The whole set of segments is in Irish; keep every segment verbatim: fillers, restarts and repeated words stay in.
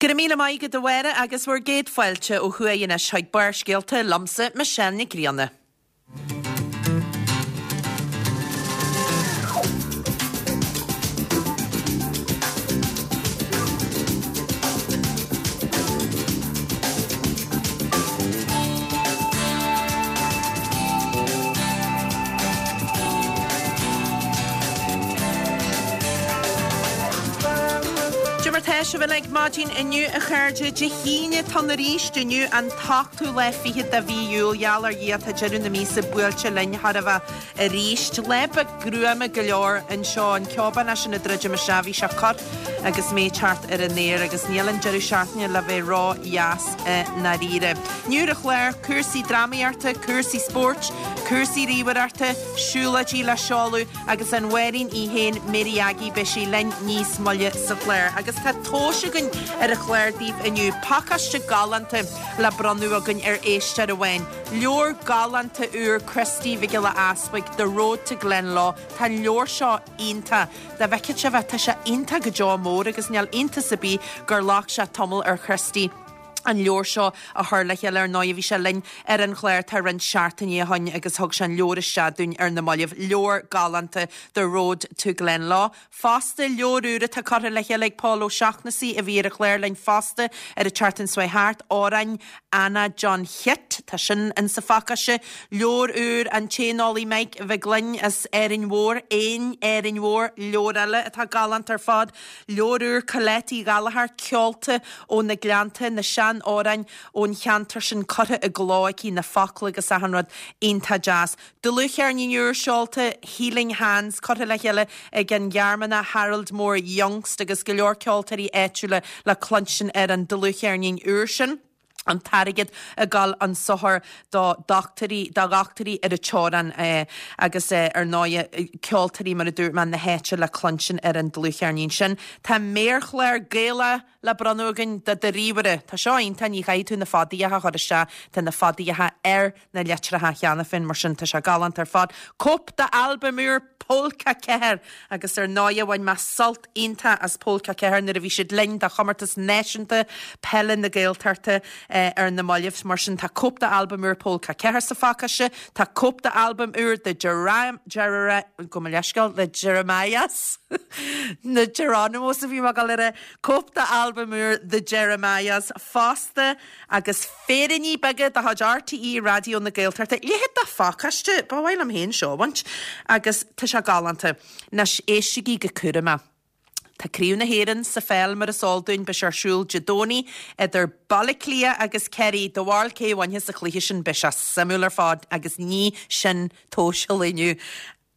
Go raibh míle maith agat a Mháire agus bhur gcéad fáilte ó thuaidh anois chuig Barrscéalta liomsa Michelle Nic Grianna. Cad é mar tá sibh uilig maidin inniu a chairde Dé hAoine atá ann arís inniu an t-ochtú lá fichead de mhí Iúil gheall ar Dhia tá deireadh na míosa buailte linn chóir a bheith arís. Lá beag gruama go leor anseo an ceobán sin ag druidim isteach bhí sé corr agus mé ag teacht ar an aer agus níl an deireadh seachtaine le bheith ró-dheas i ndáiríre. Inniu ar an chlár, cúrsaí drámaíochta, cúrsaí spóirt, cúrsaí ríomhaireachta, siúlóidí le seoladh agus an Mháirín í féin, Mary Aggie, beidh sí linn níos moille sa chlár. Agus tá tomhais againn ar an chlár daoibh inniu, pacáiste galánta le bronnadh againn ar éisteoir amháin. Leabhar galánta úr Christy Mhic Giolla Easbuig, The Road to Glenlough. Tá an leabhar seo iontach. Dá bhfeicfeadh sibh é, tá sé iontach go deo mór agus níl iontas ar bith gur ghlac sé tamall ar Christy an leabhar seo a chur le chéile ar ndóigh bhí sé linn ar an chlár tá roinnt seachtainí ó shin agus thug sé an leabhar isteach dúinn ar na mallaibh leabhar galánta The Road to Glenlough. Fosta leabhar úr atá curtha le chéile ag Pól Ó Seachnasaigh a bhí ar an chlár linn fosta ar an tseachtain seo thart Amhráin Anna John Chit tá sin in sa phacáiste leabhar úr an tséanolaí Mike Mhic Gloinn as Árainn Mhór éin Árainn Mhór leabhar eile atá galánta ar fad leabhar úr Colette Uí Ghallchóir ceolta ó na Gleannta na seanamhráin ón cheantar sin curtha i gcló aici na focla agus achan rud iontach deas. Dlúthcheirnín úr seolta Healing Hands curtha le chéile ag an Ghearmánach Harold Mór Jungst agus go leor ceoltóirí áitiúla le cluinstin ar an dlúthcheirnín úr sin. an t-airgead ag dul chun sochair do dhochtúirí do dhochtúirí ar an teorainn eh, agus eh, ar ndóigh ceoltóirí mar a dúirt mé na háite le cluinstin ar an dlúthcheirnín sin. Tá méarchlár Gaelach le bronnadh againn do do ríomhaire. Tá seo iontach ní chaithfidh tú na fadaíocha a chur isteach tá na fadaíocha ar na litreacha cheana féin mar sin tá sé galánta ar fad. Cóip d'albam úr Pólca Ceathair agus ar ndóigh bhain mé sult iontach as Pólca Ceathair nuair a bhí siad linn do chomórtas náisiúnta peile na Gaeltachta eh, ar na mallaibh mar sin tá cóip d'albam úr Pólca Ceathair sa phacáiste, tá cóip d'albam úr de go leisceáil le Jeremiahs na Geronimos a bhí mar le cóip d'albam úr The Jeremiahs fosta agus féiríní beaga de chuid RTÉ Raidió na Gaeltachta leithéid de phacáiste ba mhaith liom féin seo a bhaint agus tá sé galánta Anois éistigí go cúramach. Tá Craobh na hÉireann sa pheil mar is eol dúinn beidh sé ar siúl Dé Domhnaigh idir Baile Átha Cliath agus Kerry do bharúil cé a bhainfeas an cluiche sin beidh sé suimiúil ar fad agus ní sin tomhais an lae inniu.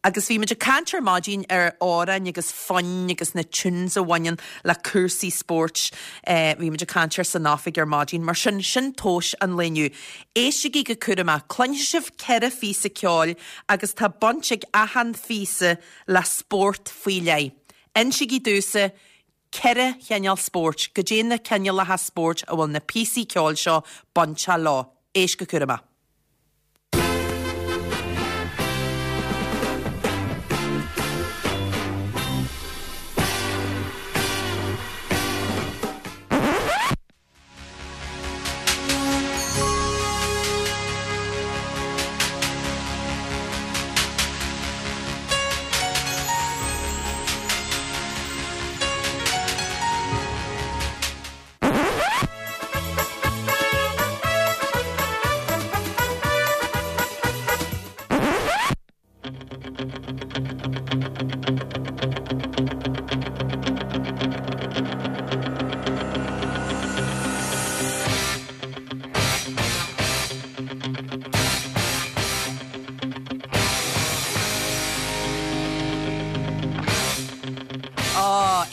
Agus bhí muid ag caint ar maidin ar amhráin agus foinn agus na tunes a bhaineann le cúrsaí spóirt eh, bhí muid ag caint air san oifig ar maidin, mar sin sin tomhais an lae inniu. Éistigí go cúramach, cluinfidh sibh ceithre phíosa ceoil agus tá baint ag achan phíosa le spórt faoi leith. Insígí domhsa ceithre chineál spóirt, goidé na cineálacha spóirt a bhfuil na píosaí ceoil seo bainte leo. Éist go cúramach.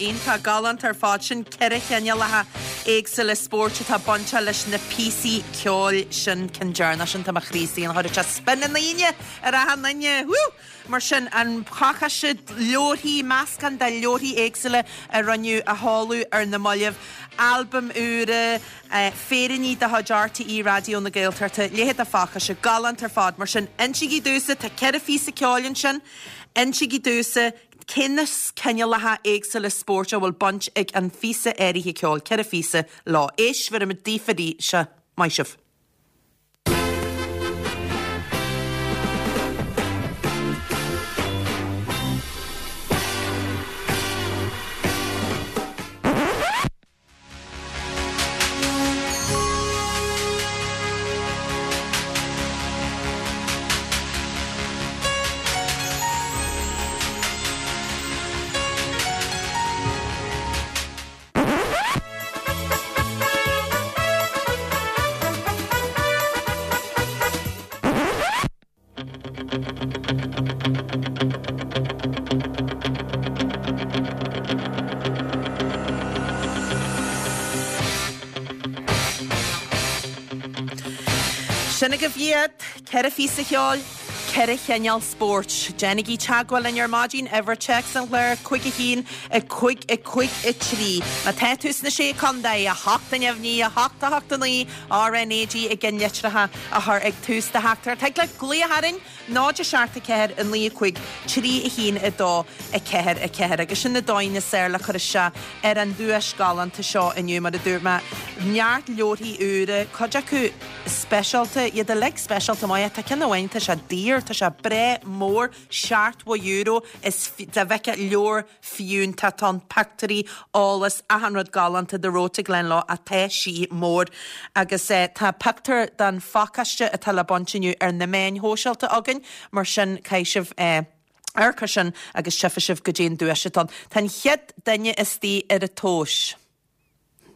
Iontach galánta ar fad sin ceithre chineálacha éagsúla spóirt atá bainte leis na píosaí ceoil sin ceann deireanach sin tá mo chroí istigh an chuir sé spion na ndaoine ar achan duine. Woo! Mar sin an pacáiste leabharthaí meascán de leabharthaí éagsúla a rinneadh a sheoladh ar na mallaibh, albam úr eh, féiríní de chuid RTÉ Raidió na Gaeltachta, leithéid de phacáiste galánta ar fad mar sin insígí domhsa tá ceithre phíosa ceoil ansin, insígí domhsa Cé na cineálacha éagsúla spóirt a bhfuil baint ag an phíosa áirithe ceoil, ceithre phíosa leo. Éist, bheirfimid daoibh arís. Maith sibh. Sin agaibh iad, ceithre phíosa cheoil, ceithre chineál spóirt. Déanaigí teagmháil linn ar maidin, uimhir téacs an chláir, cúig a haon, a cúig, a cúig, a trí. Má tá tú sna Sé Chontae, a hocht a neamhní, a hocht, a hocht a naoi, RnaG i gceannlitreacha a chur ag tús do theachtaireacht. Thig leat glaoch orainn, náid a seacht a ceathair, a naoi a cúig, trí a haon a dó, a ceathair a ceathair. Agus sin na dóigheanna is fearr le cur isteach ar an duais galánta seo inniu, mar a dúirt mé, neart leabharthaí úra, cuid acu speisialta, iad uilig speisialta maith. Tá ceann amháin, tá sé daor, tá sé breá mór, seachtó euro, is dá bhfeicfeá leabhar fiúntach atá ann, pictiúirí, eolas, achan rud galánta The Road to Glenlo ach tá sí mór. Agus tá pictiúr den phacáiste atá le baint inniu ar na meáin shóisialta againn, mar sin caithfidh sibh amharc air sin agus tchífidh sibh goidé an duais atá ann. Tá an chéad duine istigh ar an tomhas.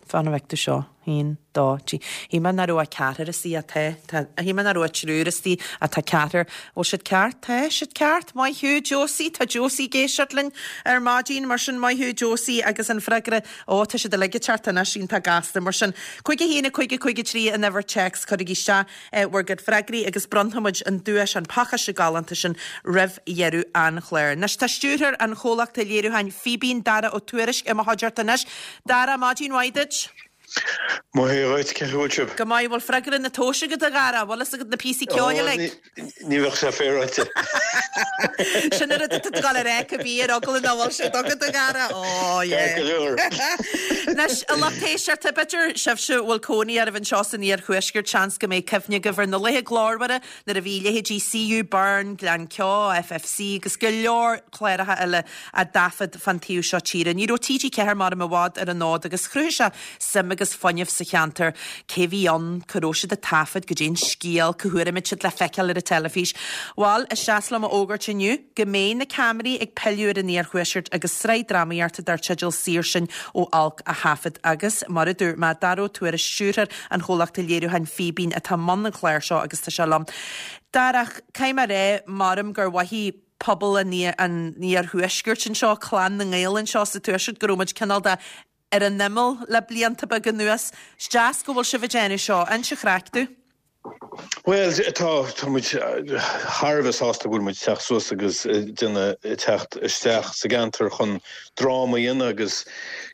Fan a bhfeic tú seo. Haon, dó, trí. Shíl mé nach raibh ach ceathrar istigh ach tá. Tá, shíl mé nach raibh ach triúr istigh ach tá ceathrar. Bhfuil siad ceart? Tá siad ceart. Maith thú, Josie. Tá Josie ag éisteacht linn ar maidin, mar sin maith thú, Josie. Agus an freagra, ó, tá siad uilig ag teacht anois, iontach gasta. Mar sin, cúig a haon, a cúig, a cúig, a trí an uimhir téacs, cuirigí isteach bhur gcuid freagraí agus bronnfaidh muid an duais, an pacáiste galánta sin roimh dheireadh an chláir. Anois tá stiúrthóir an chomhlachta léiriúcháin Fíbín, Dara Ó Tuairisg, i mo chuideachta anois. Dara, maidin mhaith duit. Maith dhuit, cén chaoi a bhfuil sibh? Go maith, bhfuil freagra na tomhaise agat a Dhara? Bhfuil fhios agat na píosaí ceoil uilig? Ní bheadh sé féaráilte. Sin an rud atá tú ag dul a rá cibé ar eagla nach bhfuil siad agat a Dhara. Ó, yeah. Ceart go leor. Anois, a lucht éisteachta, b'fhéidir sibhse a bhfuil cónaí oraibh anseo san iarthuaisceart, seans go mbeidh cuimhne agaibh ar na laethe glórmhara nuair a bhí leithéidí CU Burn, Gleann Ceo, FFC agus go leor cláracha eile á dtaifead fán taobh seo tíre. Ní raibh TG Ceathair maram i bhfad ar an fhód agus chruthaigh sé suim agus fuinneamh sa cheantar. Cé bhí ann? Cá raibh siad ag taifead? Goidé an scéal? Cá huair a mbeidh siad le feiceáil ar an teilifís? Bhal, is deas liom a fhógairt inniu go mbeidh na ceamaraí ag pilleadh ar an iarthuaisceart agus sraith drámaíochta dar teideal Saor Sinn ó Olc á thaifead agus, mar a dúirt mé, Dara Ó Tuairisg, stiúrthóir an chomhlachta léiriúcháin Fíbín atá i mbun an chláir seo agus tá sé liom. Dara, caithfidh mé a rá, maram gur mhothaigh pobal an iarthuaiscirt anseo, clann na nGael anseo sa tuaisceart, go raibh muid cineál de ar an imeall le blianta beaga anuas. Is deas go bhfuil sibh ag déanamh seo. Inis an chraic domh. Bhuel, tá, tá muid thar a bheith sásta go bhfuil muid ag teacht suas agus déanamh, teacht isteach sa gceantar chun dráma a dhéanamh agus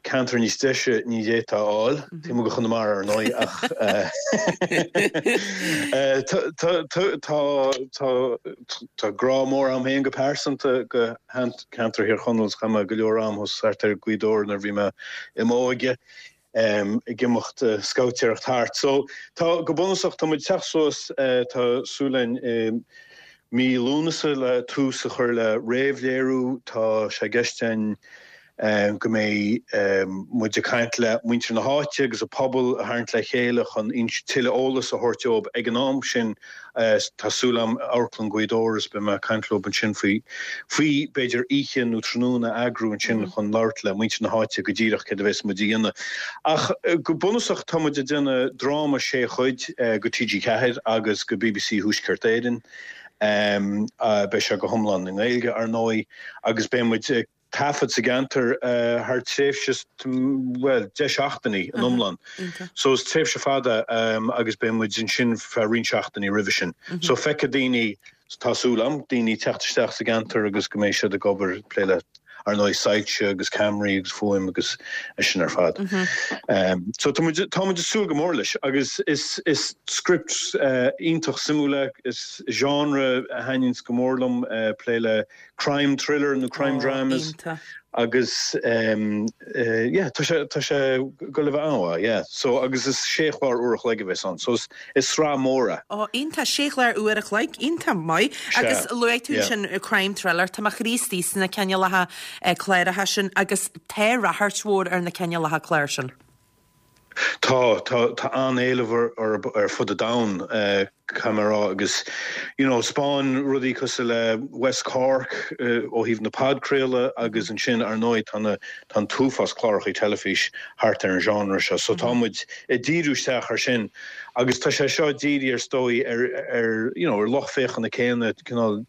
ceantar níos deise ní d'fhéadfá a fháil, taobh amuigh de Chonamara ar ndóigh ach tá, tá, tá, tá grá mór agam féin go pearsanta go ceantar Thír Chonaill is chaith mé go leor am thuas thart ar Ghaoth Dobhair nuair a bhí mé i m'óige ag imeacht scabhtéireacht thart. So tá, go bunúsach, tá muid ag teacht suas, tá súil againn i mí Lúnasa le tús a chur le réamhléiriú, tá sé i gceist againn go mbeidh muid ag caint le muintir na háite agus an pobal a tharraingt le chéile chun tuilleadh eolas a thabhairt dóibh ag an am sin. Tá súil agam Amharclann Ghaoth Dobhair is beidh mé ag caint leo ansin faoi faoi b'fhéidir oíche nó tráthnóna a eagrú ansin chun labhairt le muintir na háite go díreach céard a bheas muid a dhéanamh. Ach go bunúsach tá muid ag déanamh dráma sé chuid go TG Ceathair agus go bbc Thuaisceart Éireann. Beidh sé go hiomlán i nGaeilge ar ndóigh agus beidh muid ag taifead sa gceantar thar tréimhse, bhuel, deich seachtainí in iomlán. So is tréimhse fada agus beidh muid ansin feadh roinnt seachtainí roimhe sin. So feicfidh daoine, tá súil agam, daoine teacht isteach sa gceantar agus go mbeidh siad ag obair, ag plé le ar ndóigh soilse agus ceamaraí agus fuaim agus é sin ar fad. Mm -hmm. um, so tá muid ag súil go mór leis agus is is script uh, iontach suimiúil is genre a thaitníonns go mór liom uh, plé le crime thriller nó crime oh, dramas. agus um, uh, yeah, tá sé tá sé go le bheith an yeah. so agus is sé chlár uair a chloig a bheas ann so is, is sraith mór é. Ó iontach sé chlár uair a chloig iontach maith agus luaigh tú sin crime thriller Tá mo chroí istigh sna cineálacha cláracha sin agus tá ráchairt mhór ar na cineálacha clár sin. Tá tá tá an-éileamh ar ar fud an domhain uh, camera agus you know spáin rudaí cosúil le West Cork uh, ó thaobh na podchraoladh agus ansin ar ndóigh tá tá uafás cláracha teilifís thart ar an genre seo so tá muid ag díriú isteach ar sin agus tá sé seo dírithe ar ndóigh ar ar you know ar lucht féachana céanna cineál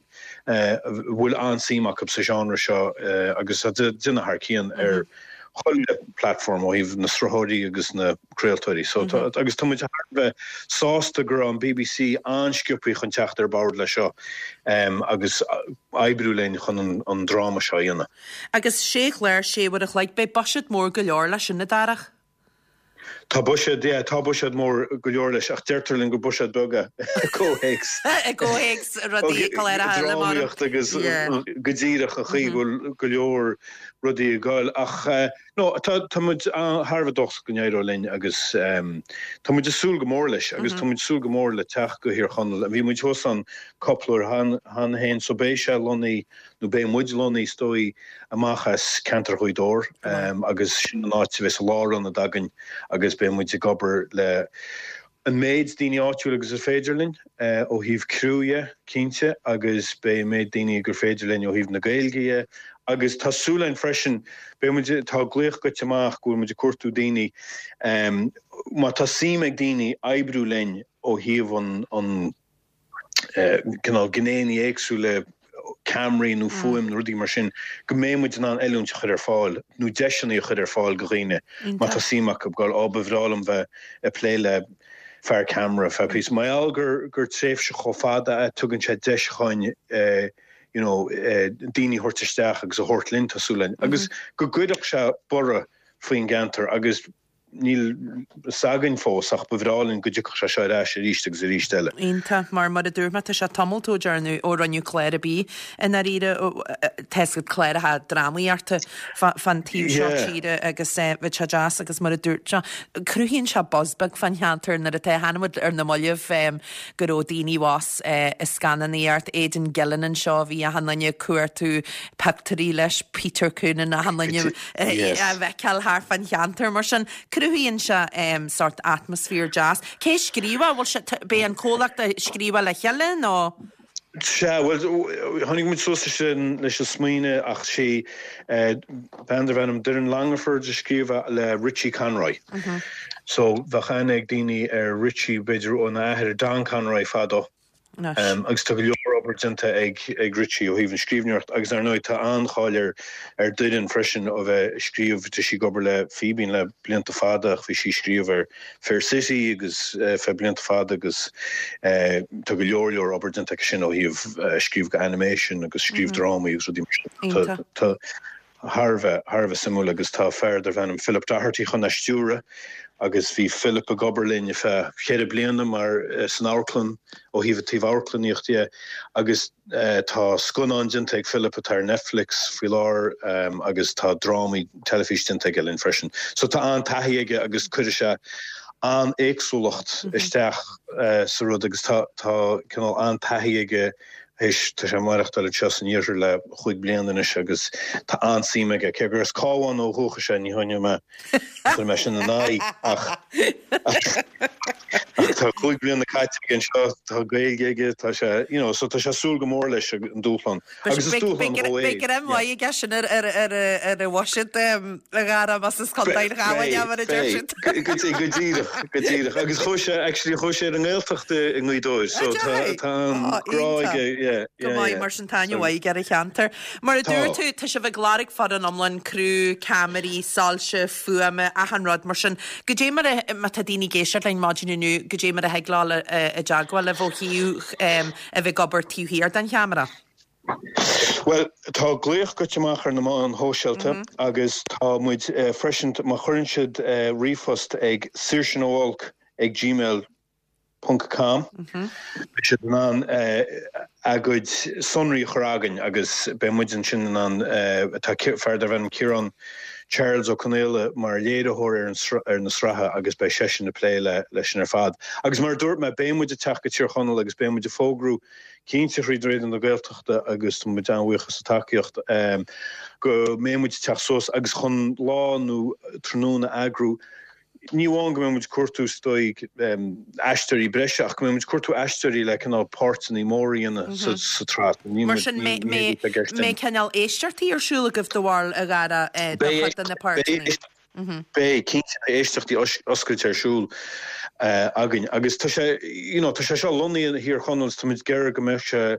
uh, bhfuil an-suim acu sa genre seo uh, agus déanamh thar cionn ar mm -hmm. chuile platform ó thaobh na sraitheoirí agus na craoltóirí so mm -hmm. agus tá muid bheith sásta go an BBC an-sciobtha chun teacht ar bord le seo um, agus oibriú linn chun an, an dráma seo dhéanamh. Agus sé chlár sé uair a chloig beidh buiséad mór go leor leis sin a Dharach? Tá buiséad tá buiséad mór go leor leis ach deirtear linn gur buiséad beag i gcomhthéacs. I gcomhthéacs rudaí drámaíocht agus go díreach a chaoi mhm. go leor rudaí gáil ach no tá muid thar a bheith dóchasach go n-éireoidh linn agus tá muid ag súil go mór leis agus tá muid ag súil go mór le teacht go Thír Chonaill. Bhí muid thuas ann cúpla uair cheana féin so beidh sé lonnaithe nó beidh muid lonnaithe is dóigh amach as ceantar Ghaoth Dobhair agus sin an áit a bheas lárionad againn agus beidh muid ag obair le an méid daoine áitiúil agus is féidir linn ó thaobh criú dhe cinnte agus beidh méid daoine gur féidir linn ó thaobh na Gaeilge agus tá súil againn freisin beidh muid tá glaoch goite amach go bhfuil muid ag cuartú daoine um, má tá suim ag daoine oibriú linn ó thaobh an an uh, cineál gnéanna éagsúla ceamaraí nó fuaim nó rudaí mar sin go mbeidh muid in ann oiliúint a chur ar fáil nó deiseanna a chur ar fáil go dhaoine má tá suim acu gáil á ba bhreá liom bheith ag plé le fear ceamara feadh píosa. Mar gheall gur gur tréimhse chomh fada a tugann sé deis chun uh, you know, uh, daoine a thabhairt isteach agus a thabhairt linn tá súil againn. Agus go gcuirfeadh sé borradh faoin gceantar agus níl fhios againn fós ach ba bhreá linn go dtiocfadh sé seo ar ais arís agus arís eile. Iontach mar mar a dúirt mé tá sé tamall ó dearnadh ó rinneadh clár ar bith i ndáiríre tescad cláracha drámaíochta fan taobh seo tíre agus bhí sé deas agus mar a dúirt sé cruthaíonn sé buzz beag fan cheantar nuair atá hanmuid ar na mallaibh go raibh daoine abhus i scannánaíocht Aidan Gillen anseo bhí achan duine ag cuartú pictiúirí leis Peter Coonan achan duine a fheiceáil thart fan cheantar mar sin. Cruthaíonn sé um, sort atmaisféar deas. Cé scríobh bhfuil sé beidh an comhlacht ag scríobh le chéile nó? Sea, well tháinig muid suas sin leis an smaoineamh ach sé bean darb ainm Doireann Langford a scríobh le Richie Conroy. Mm -hmm. So bheadh aithne ag daoine ar Richie b'fhéidir óna athair Don Conroy fadó. Um, agus tá go leor obair déanta ag ag Richie ó thaobh an scríbhneoireacht agus ar ndóigh tá an-cháil ar ar Doireann freisin ó bheith scríobh tá sí ag obair le Fíbín le blianta fada ach bhí sí scríobh ar Fair City agus uh, fe blianta fada agus uh, tá go leor leor obair déanta aici sin ó thaobh uh, scríobh go animation agus scríobh mm -hmm. drámaí agus rudaí mar sin. Tá thar a bheith thar a bheith suimiúil agus tá fear darb ainm Philip Doherty chun a stiúradh agus bhí Philip ag obair linn feadh ceithre bliana mar uh, san amharclann ó thaobh taobh amharclannaíochta agus uh, tá scannán déanta ag Philip atá ar Netflix faoi láthair um, agus tá drámaí teilifís déanta aige linn freisin. So tá an-taithí aige agus cuirfidh sé an-éagsúlacht mm -hmm. isteach uh, sa rud agus tá tá cineál an-taithí aige Éis tá sé ag maireachtáil anseo san iarthar le chúig bliana anois agus tá an-suim aige cé gur as Cabhán ó dhúchas é ní choinneoidh mé chuir mé sin in aghaidh ach ach tá cúig bliana caite aige anseo tá Gaeilge aige tá sé you know so tá sé súil go mór leis an dúshlán agus is dúshlán dó é. Beidh greim mhaith aige sin ar ar ar ar a bhuiséad a Dhara más as Contae an Chabháin é mar a deir siad. Go go díreach go díreach agus chuaigh sé actually chuaigh sé ar an nGaeltacht i nGaoth Dobhair so tá tá an grá aige yeah Go maith mar sin tá aithne mhaith ar an cheantar. Mar a dúirt tú tá sibh ag lorg foireann iomlán criú, ceamaraí, soilse, fuaime, achan rud mar sin. Goidé mar a má tá daoine ag éisteacht linn maidin inniu, goidé mar a thig leo i dteagmháil libh ó thaobh a bheith ag obair taobh thiar den cheamara. Bhuel, tá glaoch goite amach ar na meáin shóisialta agus tá muid freisin, má chuireann siad ríomhphost ag saoirsenóolc ag gmail ponc com, beidh siad in ann a gcuid sonraí a chur againn agus beidh muid ansin in ann, tá fear darb ainm Ciarán Charles Ó Conaola mar léiritheoir ar an ar na sraithe agus beidh seisean ag plé le leis sin ar fad. Agus mar a dúirt mé, beidh muid ag teacht go Tír Chonaill agus beidh muid ag fógrú cinnte thríd Raidió na Gaeltachta agus tá muid an-bhuíoch as an tacaíocht go mbeidh muid ag teacht suas agus chun lá nó tráthnóna a eagrú. Ní amháin go mbeidh muid ag cuartú is dóigh aisteoirí breise ach go mbeidh muid ag cuartú aisteoirí le cineál páirteanna móra a dhéanamh sa tsraith. Mar sin mbeidh cineál éisteachtaí ar siúl agaibh do bharúil a Dhara do chuid de na páirteanna? Beidh, cinnte, beidh éisteachtaí oscailte ar siúl againn agus tá sé, you know, tá sé seo lonnaithe i Thír Chonaill is tá muid ag iarraidh go mbeadh sé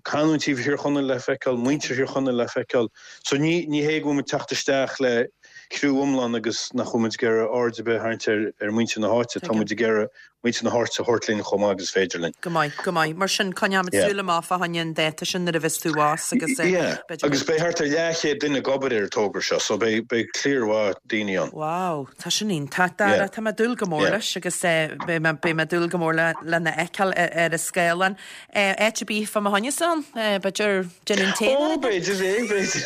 canúintí Thír Chonaill le feiceáil, muintir Thír Chonaill le feiceáil. So ní ní hé go bhfuil muid teacht isteach le criú iomlán agus nach bhfuil muid ag iarraidh aird ar bith a tharraingt ar ar muintir na háite, tá muid ag iarraidh muintir na háite a thabhairt linn chomh maith agus is féidir linn. Go maith, go maith. Mar sin, coinneoimid Yeah. súil amach fá choinne an dáta sin nuair a bheas tú abhus agus eh, Yeah. b'fhéidir Agus beidh thart ar leathchéad duine ag obair ar an togra seo, so beidh beidh cliar mhaith daoine ann. Wow, tá sin iontach, Dara. Yeah. Tá mé ag dúil go mór Yeah. leis agus eh, beidh mé beidh mé ag dúil go mór le lena fheiceáil ar ar an scáileán. Eh, áit ar bith fá mo choinne ann? Eh, b'fhéidir déanamh an tae Ó, nó b'fhéidir é, b'fhéidir.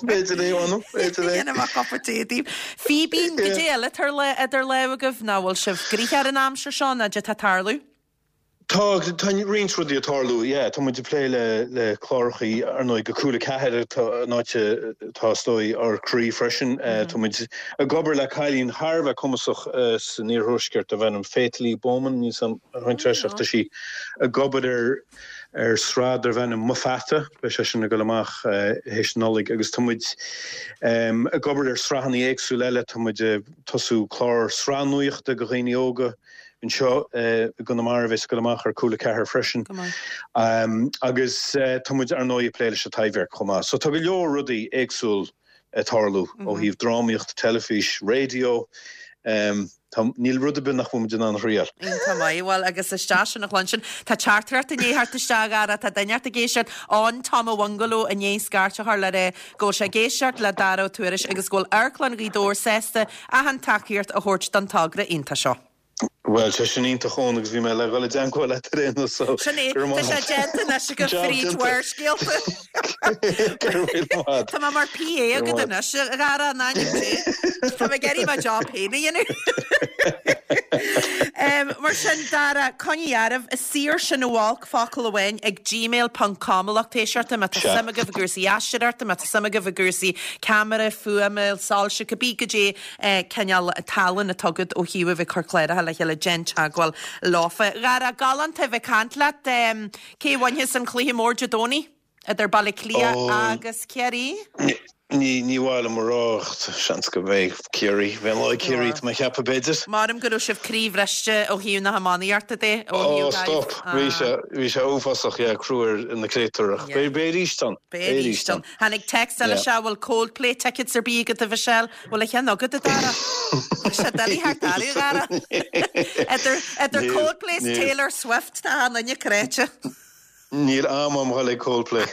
B'fhéidir é, anam, b'fhéidir é. Déanfaidh mé cupa tae daoibh. Fíbín, Yeah. goidé eile atá le idir lámha agaibh ná bhfuil sibh gnoitheach ar an aimsir seo ná goidé atá ag tarlú? Tá tá roinnt rudaí ag tarlú, yeah, tá muid ag plé le le clárachaí ar ndóigh go Cúla Ceathair atá an áit atá is dóigh ár croí freisin. Tá muid ag obair le cailín thar a bheith cumasach san iarthuaisceart darb ainm Faith Lee Bowman, níl 's a'm ar roinnt leis ach tá sí ag obair ar ar sraith darb ainm Mo Pheata, beidh sé sin ag dul amach théis Nollaig agus tá muid ag obair ar sraitheanna éagsúla eile, tá muid ag tosú clár sraith nuachta do dhaoine óga anseo i gConamara a bheas ag dul amach ar Cúla Ceathair freisin. Agus tá muid ar ndóigh ag plé leis an Taibhdhearc chomh maith. So tá go leor rudaí éagsúil ag tarlú ó thaobh drámaíocht, teilifís, raidió. Tá, níl rud ar bith nach bhfuil muid in ann a thriail. Iontach maith. Bhuel, agus is deas sin a chluinstin. Tá teachtaireacht i ndiaidh theacht isteach, a Dhara, tá duine ort ag éisteacht Eoin Tom a Bhungalow i ndiaidh scairt a chur le rá go bhfuil sé ag éisteacht le Dara Ó Tuairisg agus go bhfuil Amharclann Ghaoth Dobhair sásta achan tacaíocht a thabhairt don togra iontach seo. Bhuel, sé sin iontach Eoin agus bhí mé le dhul i dteagmháil leat ar aon nós so Sin é, go raibh tá maith sé agat. déanta anois agat Job fríd déanta. Bharrscéalta. Go raibh míle maith agat. Tá mé mar PA Go raibh agat maith. anois, a Dhara, in ainm Dé. Tá mé ag iarraidh mo job féin a dhéanamh. Em, Mar sin, Dara, coinnigh oraibh, saor sin ó olc, focal amháin, ag gmail ponc com a lucht éisteachta, má tá Sea. suim agaibh i gcúrsaí aisteoireachta, má tá suim agaibh i gcúrsaí ceamara, fuaime, soilse, cibé goidé cineál tallann atá agat ó thaobh a bheith ag cur cláracha le chéile, déan teagmháil leofa. Dhara, galánta a bheith ag caint leat. Cé a bhainfeas an cluiche mór Dé Domhnaigh idir Baile Átha Cliath agus Ciarraí? Ní ní mhaith liom a rá ach seans go mbeidh Ciarraí, bheidh an lá ag Ciarraí tá mé ag ceapadh b'fhéidir. Maram go raibh sibh croíbhriste ó thaobh na hiománaíochta de, ó Ó thaobh stop, bhí sé bhí sé uafásach, yeah, crú ar na créatúir ach beidh beidh arís ann, Beidh arís ann. Tháinig téacs eile Yeah. seo, bhfuil Coldplay tickets ar bith agat a Mhichelle? Bhfuil a cheann agat a Dara? Tá sé doiligh thart oraibh, a Dhara. Idir idir Níl, Coldplay is níl. Taylor Swift tá an duine cráite. Níl am agam dhul ag Coldplay.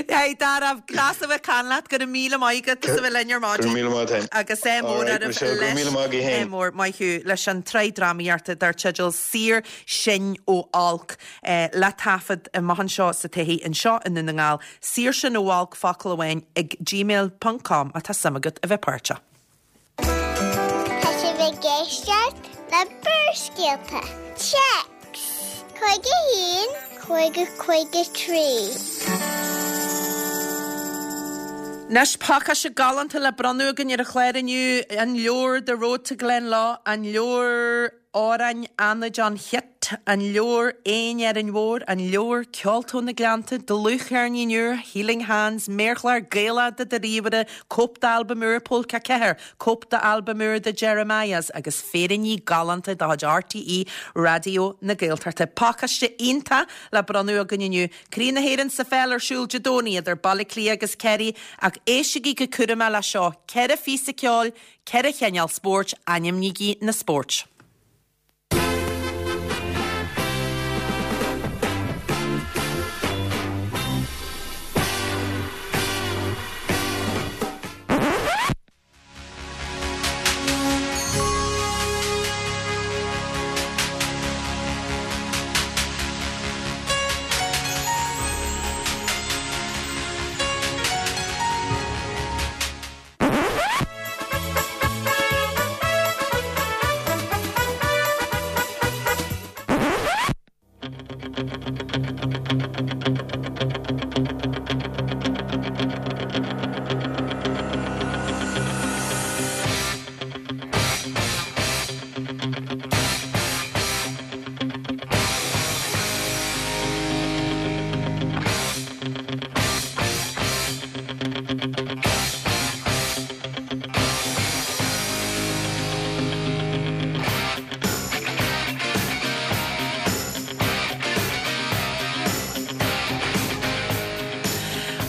Hey Dara, deas a bheith ag caint leat, go raibh míle maith agat as a bheith linn ar Go raibh maidin. míle maith agat. Agus é mór Alright, oraibh Michelle, go raibh míle maith agat leis féin. mór maith thú leis an tsraith drámaíochta dar teideal Saor Sinn ó Olc le taifead amach anseo sa todhchaí anseo i nDún na nGall. Saor Sinn ó Olc focal amháin ag gmail ponc com má tá suim agat a bheith páirteach. Tá sibh ag éisteacht le Barrscéalta. Téacs cúig a haon, cúig a cúig a trí. Anois pacáiste galánta le bronnadh againn ar an chlár inniu, an leabhar The Road to Glenlough, an leabhar Amhráin Fhánaid an Chit, an leabhar Éin Árainn Mhór, an leabhar Ceolta ó na Gleannta, dlúthcheirnín úr, Healing Hands, méarchlár Gaelach do do ríomhaire, cóip d'albam úr Pólca Ceathair, cóip d'albam úr The Jeremiahs agus féiríní galánta de chuid RTÉ Raidió na Gaeltachta. Pacáiste iontach le bronnadh againn inniu. Craobh na hÉireann sa pheil ar siúl Dé Domhnaigh idir Baile Átha Cliath agus Ciarraí ach éistigí go cúramach le seo, ceithre phíosa ceoil, ceithre chineál spóirt, ainmnígí na spóirt.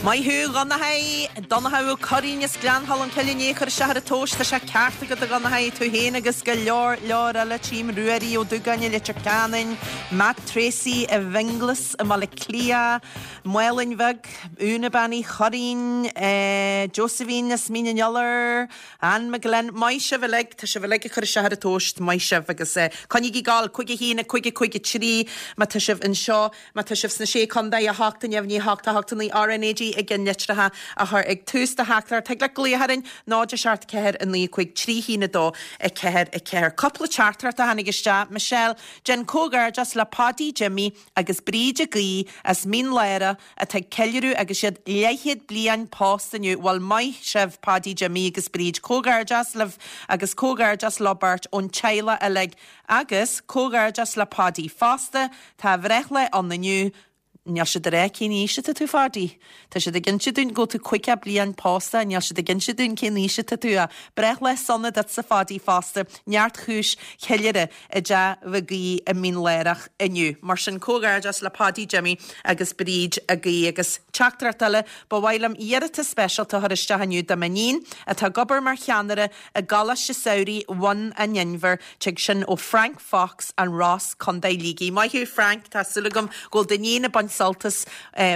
Maith thú, a Dhonnchaidh, Donncha Ó Curraoin as Gleann Cholm Cille inné ag cur isteach ar an tomhas, tá sé ceart agat a Dhonnchaidh, tú féin agus go leor leor eile, tchím Ruairí Ó Dúgáin i Leitir Ceanainn, Matt Tracy i bhFionnghlas i mBaile Átha Cliath, Málainn Bheag, Úna Bean Uí Churraoin, Josephine as Mín an Iolair, Anne McGlynn, maith sibh uilig, tá sibh uilig ag cur isteach ar an tomhas, maith sibh agus coinnígí ag gabháil, cúig a haon, a cúig a cúig a trí, má tá sibh anseo. Má tá sibh sna Sé Contae, a hocht, a neamhní, a hocht, a hocht, a naoi, RnaG i gceann litreacha a chur ag tús do theachtaireacht. Thig leat glaoch orainn, náid a seacht ceathair a naoi cúig trí haon a dó a ceathair a ceathair. Cúpla teachtaireacht a tháinig isteach. Michelle, déan comhghairdeas le Paudie Jimmy agus Bríd Ag Aoidh as Mín Lárach atá ag ceiliúradh agus iad leathchéad bliain pósta inniu. Bhuel maith sibh Paudie Jimmy agus Bríd. Comhghairdeas libh agus comhghairdeas leo beirt ón teaghlach uilig. Agus comhghairdeas le Paudie fosta, tá a bhreithlá ann inniu, níl siad ag rá cén aois atá tú Phaudie. Tá siad ag inse dúinn go bhfuil tú caoga bliain pósta, níl siad ag inse dúinn cén aois atá tú ach breithlá sona duitse Phaudie fosta, neart chúis cheiliúradh i dTeach Mhig Aoidh i Mín Lárach inniu. Mar sin comhghairdeas le Paudie Jimmy agus Bríd Ag Aoidh. Agus teachtaireacht eile, ba mhaith liom iarratas speisialta a chur isteach inniu do m'iníon atá ag obair mar cheannaire i gColáiste Samhraidh Bhun an Inbhir, tig sin ó Frank Fox, An Ros, Contae Shligigh. Maith thú Frank, tá súil agam go bhfuil d'iníon ag baint sult as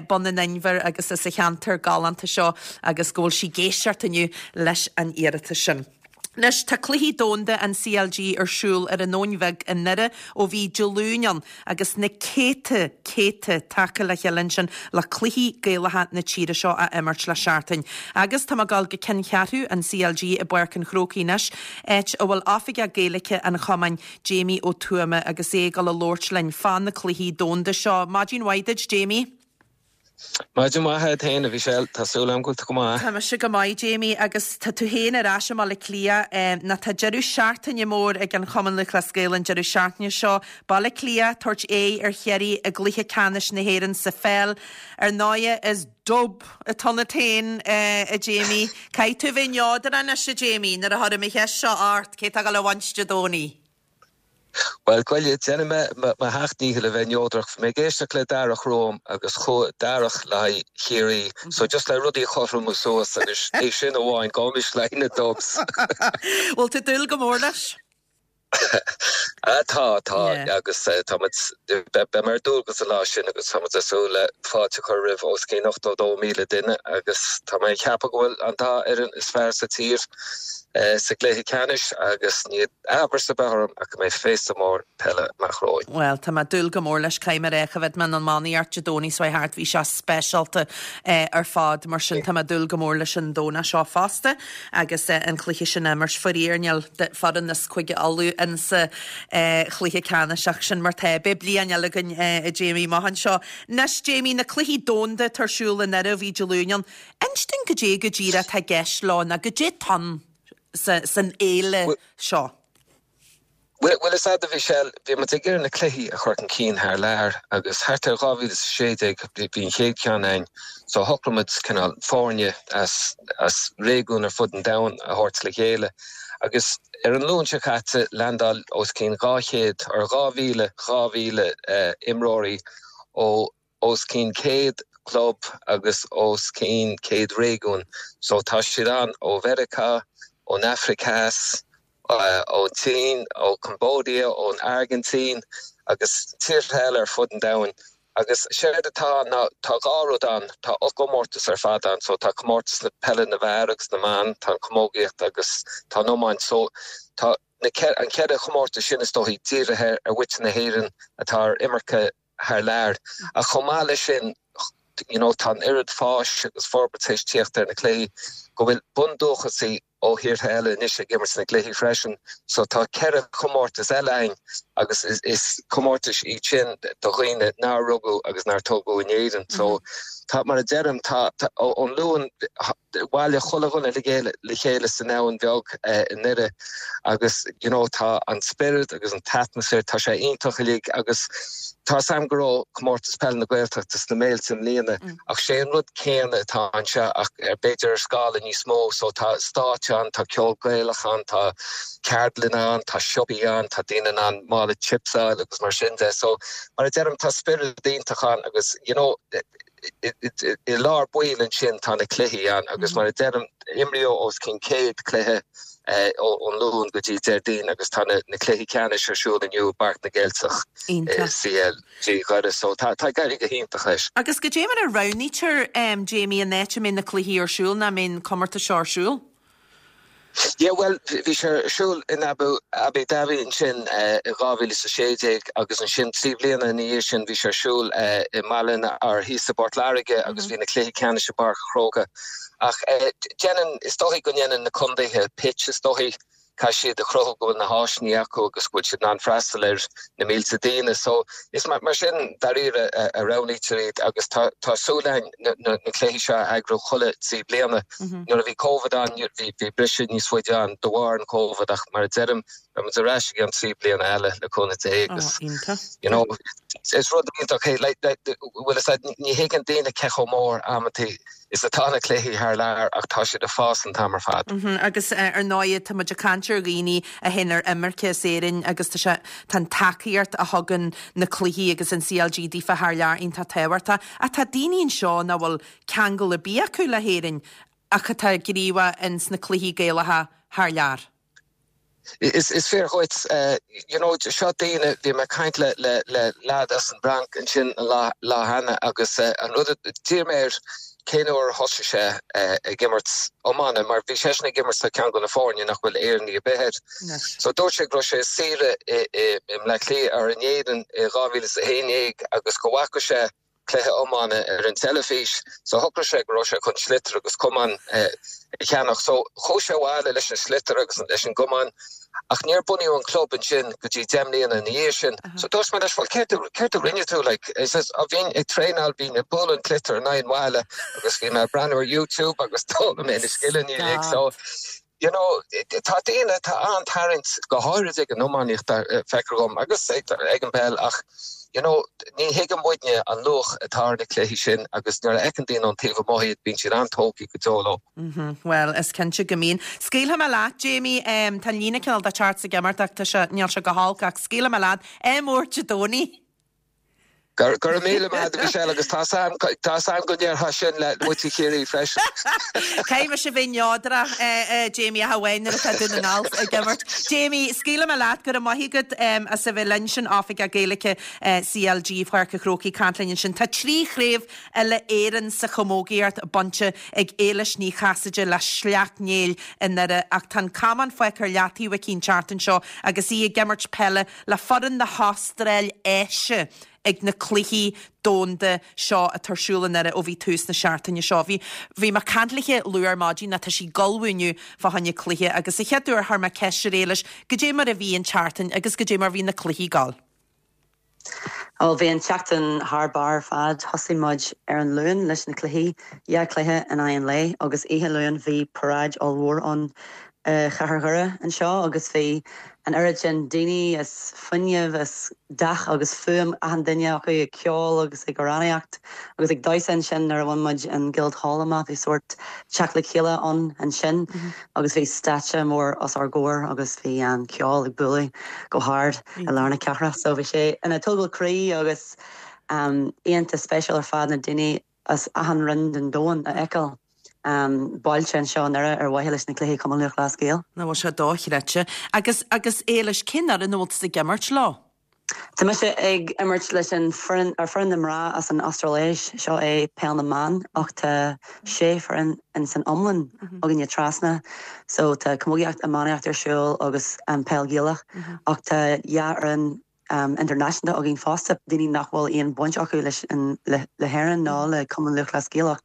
Bun an Inbhir agus as an cheantar galánta seo agus go bhfuil sí ag éisteacht inniu leis an iarratas sin. Anois, tá Cluichí Domhanda an CLG ar siúl ar an Abhainn Bheag i nDoire ó bhí Dé Luain ann agus na céadta, céadta tagtha le chéile ansin le cluichí Gaelacha na tíre seo a imirt le seachtain. Agus tá mé ag dul go ceanncheathrú an CLG i bPáirc an Chrócaigh anois, áit a bhfuil Oifigeach Gaeilge an Chumainn, Jamie Ó Tuama, agus é ag dul a labhairt linn fá na Cluichí Domhanda seo. Maidin mhaith duit, Jamie. Maidin mhaith agat féin, a Mhichelle, tá súil agam go bhfuil tú go maith. Tá mise go maith, Jamie, agus tá tú féin ar ais i mBaile Átha Cliath. Nó tá deireadh seachtaine mór ag an Chumann Lúthchleas Gael an deireadh seachtaine seo. Baile Átha Cliath, tabhairt aghaidh ar Chiarraí i gcluiche ceannais na hÉireann sa pheil. Ar ndóigh, is Dub atá ionat féin, a Jamie. Caithfidh tú a bheith neodrach anois, a Jamie, nuair a chuirim an cheist seo ort, cé atá ag dul a bhaint Dé Domhnaigh? Bhuel, goile, déanfaidh mé mo sheacht ndícheall a bheith neodrach. Bhí mé ag éisteacht le Darach romham agus chuaigh Darach le haghaidh Chiarraí, so just le rudaí a chothromú suas agus é sin amháin, gabhaimis le haghaidh na Dubs. Bhfuil tú ag dúil go mór leis? Tá, tá, agus tá muid, beidh mé ar dualgas an lá sin agus tá muid ag súil le fáilte a chur roimh os cionn ochtó dó míle duine agus tá mé ag ceapadh go bhfuil an dá fhoireann is fearr sa tír sa gcluiche ceannais agus níl amhras ar bith orm ach go mbeidh féasta mór peile amach romhainn. Bhuel, tá mé ag dúil go mór leis, caithfidh mé a rá, choimhéad mé an iománaíocht Dé Domhnaigh seo thart, bhí sé speisialta ar fad, mar sin tá mé ag dúil go mór leis an Domhnach seo fosta agus an cluiche sin á imirt. Faraor, níl foireann as Cúige Uladh insa chluiche ceannais ach sin mar tá. Beidh bliain eile againn, a Jamie, amach anseo. Anois, Jamie, na cluichí domhanda atá ar siúl i nDoire ó bhí Dé Luain ann, inis dúinn goidé go díreach atá i gceist leo nó goidé atá ann san fhéile seo. Bhuel, is ea, a Mhichelle, bhí muid ag iarraidh na cluichí a chur chun cinn thar lear agus thart ar dhá mhíle is a sé déag bhí an chéad cheann ann so shocraigh muid cineál foirne as as réigiún ar fud an domhain a thabhairt le chéile agus ar an Luan seo caite landáil os cionn dhá chéad or dhá mhíle dhá mhíle imreoirí ó os cionn céad club agus os cionn céad réigiún. So tá siad ann ó Mheiriceá, ón Afraic Theas, ón tSín, ó Cambodia, ón Airgintín agus tíortha eile ar fud an domhain. Agus séard atá ann ná tá dhá rud ann, tá ocht gcomórtas ar fad ann, so tá comórtas na peile na bhfear agus na mban, tá an chamógaíocht agus tá an iomáint. So tá na an ceithre chomórtas sin is dóichí dírithe ar mhuintir na hÉireann atá ar imirce thar lear. Ach chomh maith leis sin, you know, tá an oiread fáis agus forbairt tar éis tíocht ar na cluichí go bhfuil bundúchasaigh ó thíortha eile anois ag imirt sna gcluichí freisin. So tá ceithre chomórtas eile ann agus is, is comórtais iad sin do dhaoine nár rugadh agus nár tógadh in Éirinn. So tá, mar a deirim, tá, tá ón Luan bhailigh chuile dhuine le chéile le chéile san Abhainn Bheag i nDoire agus you know tá an spiorad agus an t-atmaisféar, tá sé iontach uilig agus tá 's a'm go raibh Comórtas Peile na Gaeltachta sna Méilte i mbliana ach sé an rud céanna atá anseo ach ar b'fhéidir ar scála níos mó so tá stáitse ann, tá ceol Gaelach ann, tá ceardlanna ann, tá siopaí ann, tá daoine in ann mála chips a fháil agus mar sin de so mar a deirim tá spiorad iontach ann agus you know i lár baill ansin tá na cluichí ann agus mar a deirim imríodh os cionn céad cluiche ón Luan go dtí Déardaoin agus tá na cluichí ceannais ar siúl inniu i bPáirc na gCeilteach CLG Dhoire so tá tá ag éirí go hiontach leis. Agus goidé mar a roghnaítear Jamie an áit a mbeidh na cluichí ar siúl nó a mbeidh an comórtas seo ar siúl? Yeah bhuel bhí sé ar siúl in Abu Abu Dhabi ansin i dhá mhíle is a sé déag agus ansin trí bliana ina dhiaidh sin bhí sé ar siúl i mBaile na or thíos i bPort Láirge agus bhí na cluichí ceannais i bPáirc an Chrócaigh. Ach déanann, is dóigh go ndéanann na contaetha pitch is dóigh, caithfidh siad a chruthú go bhfuil na háiseanna acu agus go bhfuil siad in ann freastal ar na mílte daoine. So is mar sin dáiríre a roghnaítear iad agus tá tá súil againn na na cluichí seo a eagrú chuile trí bliana. Nuair a bhí Covid ann bhí bhí briseadh níos faide ann de bharr an Covid ach mar a deirim beidh muid ar ais i gceann trí bliana eile le cúnamh Dé agus you know is rud iontach é like like bhfuil fhios a'd ní thuigeann daoine cé chomh mór amantaí is atá na cluichí thar lear ach tá siad ag fás an t-am ar fad. Agus ar ndóigh tá muid ag caint ar dhaoine a théann ar imirce as Éirinn agus tá sé, tá an tacaíocht a thugann na cluichí agus an CLG daofa thar lear iontach tábhachtach. Ach tá daoine anseo nach bhfuil ceangal ar bith acu le hÉirinn ach atá gníomhach ins na cluichí Gaelacha thar lear. Is is fíor dhuit. You know, seo daoine, bhí mé ag caint le le le leaid as an bhFrainc ansin an lá lá cheana agus an rud a d'iarr mé air cén uair a thosaigh sé ag imirt iomána mar bhí seisean ag imirt le ceann de na foirne nach bhfuil Éireannaigh ar bith air. So dúirt sé go raibh sé ar saoire i i i mBleá Cliath or in Éirinn i dhá mhíle is a haon déag agus go bhfaca sé cluiche iomána ar an teilifís so shocraigh sé go raibh sé chun sliotar agus camán a cheannach. So chuaigh sé abhaile leis an sliotar agus leis an gcamán ach níor bunaíodh an club ansin go dtí deich mbliana ina dhiaidh sin. So dúirt mé leis, bhuel céard céard a rinne tú like? He says, oh bhínn ag traenáil, bhínn ag bualadh an tsliotair in aghaidh an bhalla agus bhí mé ag breathnú ar YouTube agus d'fhoghlaim mé na scileanna uilig. So You know, tá daoine, tá an-tarraingt, go háirid ag an iománaíocht, feictear dhom, agus ag an bpeil ach, you know, ní thuigeann muidne an luach atá ar na cluichí sin agus nuair a fheiceann daoine ón taobh amuigh iad, bíonn siad an-tógtha go deo leo. Bhuel, is cinnte go mbíonn. Scaoilfidh mé leat, Jamie, tá an líne cineál de teacht is ag imeacht ach tá sé, níl sé go holc ach scaoilfidh mé leat, ádh mór Dé Domhnaigh. Go raibh míle maith agat, Michelle, agus tá 's a'm go ndéarfá sin le muintir Chiarraí freisin. Caithfidh mise bheith neodrach, Jamie, ach amháin nuair atá Dún na nGall ag imirt. Jamie, scaoilfidh mé leat, go raibh maith agat as a bheith linn, sin Oifigeach Gaeilge CLG Pháirc an Chrócaigh ag caint linn ansin. Tá trí chraobh uile-Éireann sa chamógaíocht bainte ag Éilis Ní Chasaide le Sleacht Néill i nDoire ach tá an camán fágtha ar leataobh aici an tseachtain seo agus í ag imirt peile le foireann na hAstráile ag na Cluichí Domhanda seo atá ar siúl i nDoire ó bhí tús na seachtaine seo. Bhí bhí mé ag caint léi luath ar maidin nó tá sí ag ullmhú inniu fá choinne cluiche agus sa chéad uair chuir mé ceist ar Éilis goidé mar a bhí an tseachtain agus goidé mar bhí na cluichí ag gabháil. Ó bhí an tseachtain thar barr ar fad. Thosaigh muid ar an Luan leis na cluichí, dhá chluiche in aghaidh an lae agus oíche Luain bhí paráid ollmhór ann i chathair Dhoire anseo agus bhí an oiread sin daoine is fuinneamh is dath agus fuaim achan duine acu ag ceol agus ag amhránaíocht agus ag damhsa ansin nuair a bhain muid an Guildhall amach bhí sórt teacht le chéile ann ansin agus bhí stáitse mór os ár gcomhair agus bhí an ceol ag bualadh go hard i lár na cathrach so bhí sé ina tógáil croí agus iontach spéisiúil ar fad na daoine as achan roinn den domhan a fheiceáil bailithe anseo i nDoire ar mhaithe leis na Cluichí Chumann Lúthchleas Gael. Nach bhfuil sé dochreidte. Agus, agus Éilis, cén fhoireann a bhfuil tusa ag imirt leo? Tá mise ag imirt leis an foireann, ar foireann na mná as an Astráiléis, seo é peil na mban ach tá sé foireann in san iomlán againne trasna. So tá camógaíocht, iománaíocht ar siúl agus an peil Ghaelach ach tá dhá fhoireann idirnáisiúnta againn fosta, daoine nach bhfuil aon bhaint acu leis an le hÉirinn nó le Cumann Lúthchleas Gael ach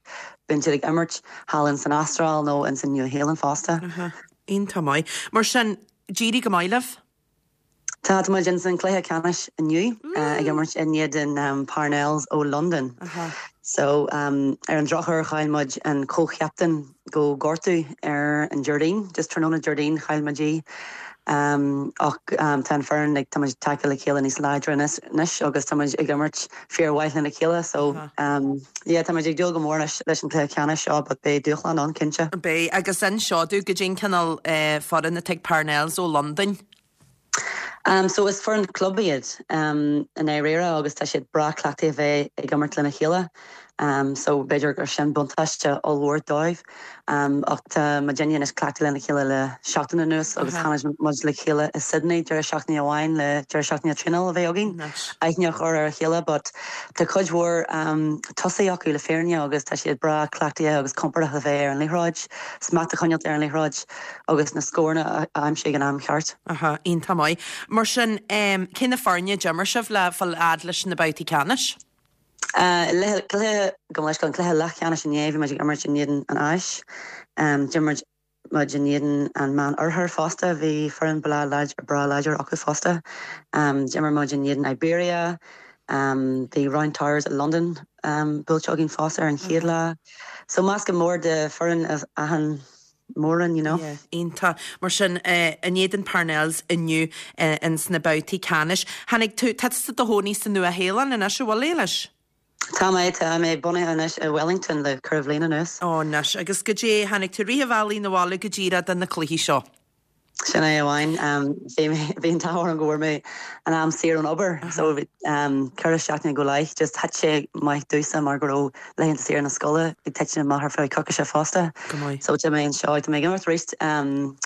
bíonn siad ag imirt thall in san Astráil nó in san Nua-Shéalainn fosta. Iontach maith. Mar sin, d'éirigh go maith libh? Tá, tá muid in san cluiche ceannais inniu ag imirt in éadan Parnells ó Londain. So ar an drochuair chaill muid an comh-chaptaen go gortú ar an Déardaoin, just tráthnóna Déardaoin chaill muid í. Ach tá an foireann like tá muid tagtha le chéile níos láidre anois agus tá muid ag imirt fíormhaith lena chéile so yeah tá muid ag dúil go mór leis leis an cluiche ceannais seo but beidh dúshlán ann cinnte. Beidh agus inis domh goidé an cineál foireann atá ag Parnells ó Londain. Um so is foireann club iad um i ndáiríre agus tá siad breá cleachtaithe a bheith ag imirt lena chéile. Um, so b'fhéidir gur sin buntáiste ollmhór dóibh. Um, ach tá muidinne anois cleachtaithe lena chéile le seachtain anuas agus tháinig muid le chéile i Sydney deireadh seachtaine amháin le deireadh seachtaine traenála a bheith againn. Aithne a chur ar a chéile, but tá cuid mhór um, tosaithe acu le fírinne agus tá siad breá cleachtaithe agus compordach a bheith ar an liathróid, smacht a choinneáil ar an liathróid agus na scóranna a aimsiú ag an am ceart. Aha, iontach maith. Mar sin um, cé na foirne a d'imir sibh le fáil fhad leis na babhtaí ceannais? Uh, cluiche go leis an cluiche leathcheannais inné bhí muid ag imirt in éadan an Áis. Um, D'imir muid in éadan an Meánoirthear fosta bhí foireann breá breá láidir acu fosta. Um, D'imir muid in éadan Iberia, um, bhí Round Towers i London um, buailte againn fosta ar an chéad lá. So meascán mór de foireann achan mórán, you know. Yeah, iontach. Mar sin uh, in éadan Parnells inniu uh, in sna babhtaí ceannais. Tháinig tú tá tú i do chónaí sa Nua-Shéalainn anois an bhfuil Éilis? Tá mé tá mé bunaithe anois i Wellington le ceithre bliana anuas. Ó anois agus goidé tháinig tú rith an bhealaigh na bhaile go díreach do na cluichí seo. Sin é amháin bhí an t-ádh orm go bhfuair mé an am saor ón obair so um, ceithre seachtaine go leith just thit sé maith domhsa mar go raibh laethanta saoire na scoile ag titim amach ar feadh coicíse fosta. Go maith. So tá mé anseo tá mé ag imirt arís um,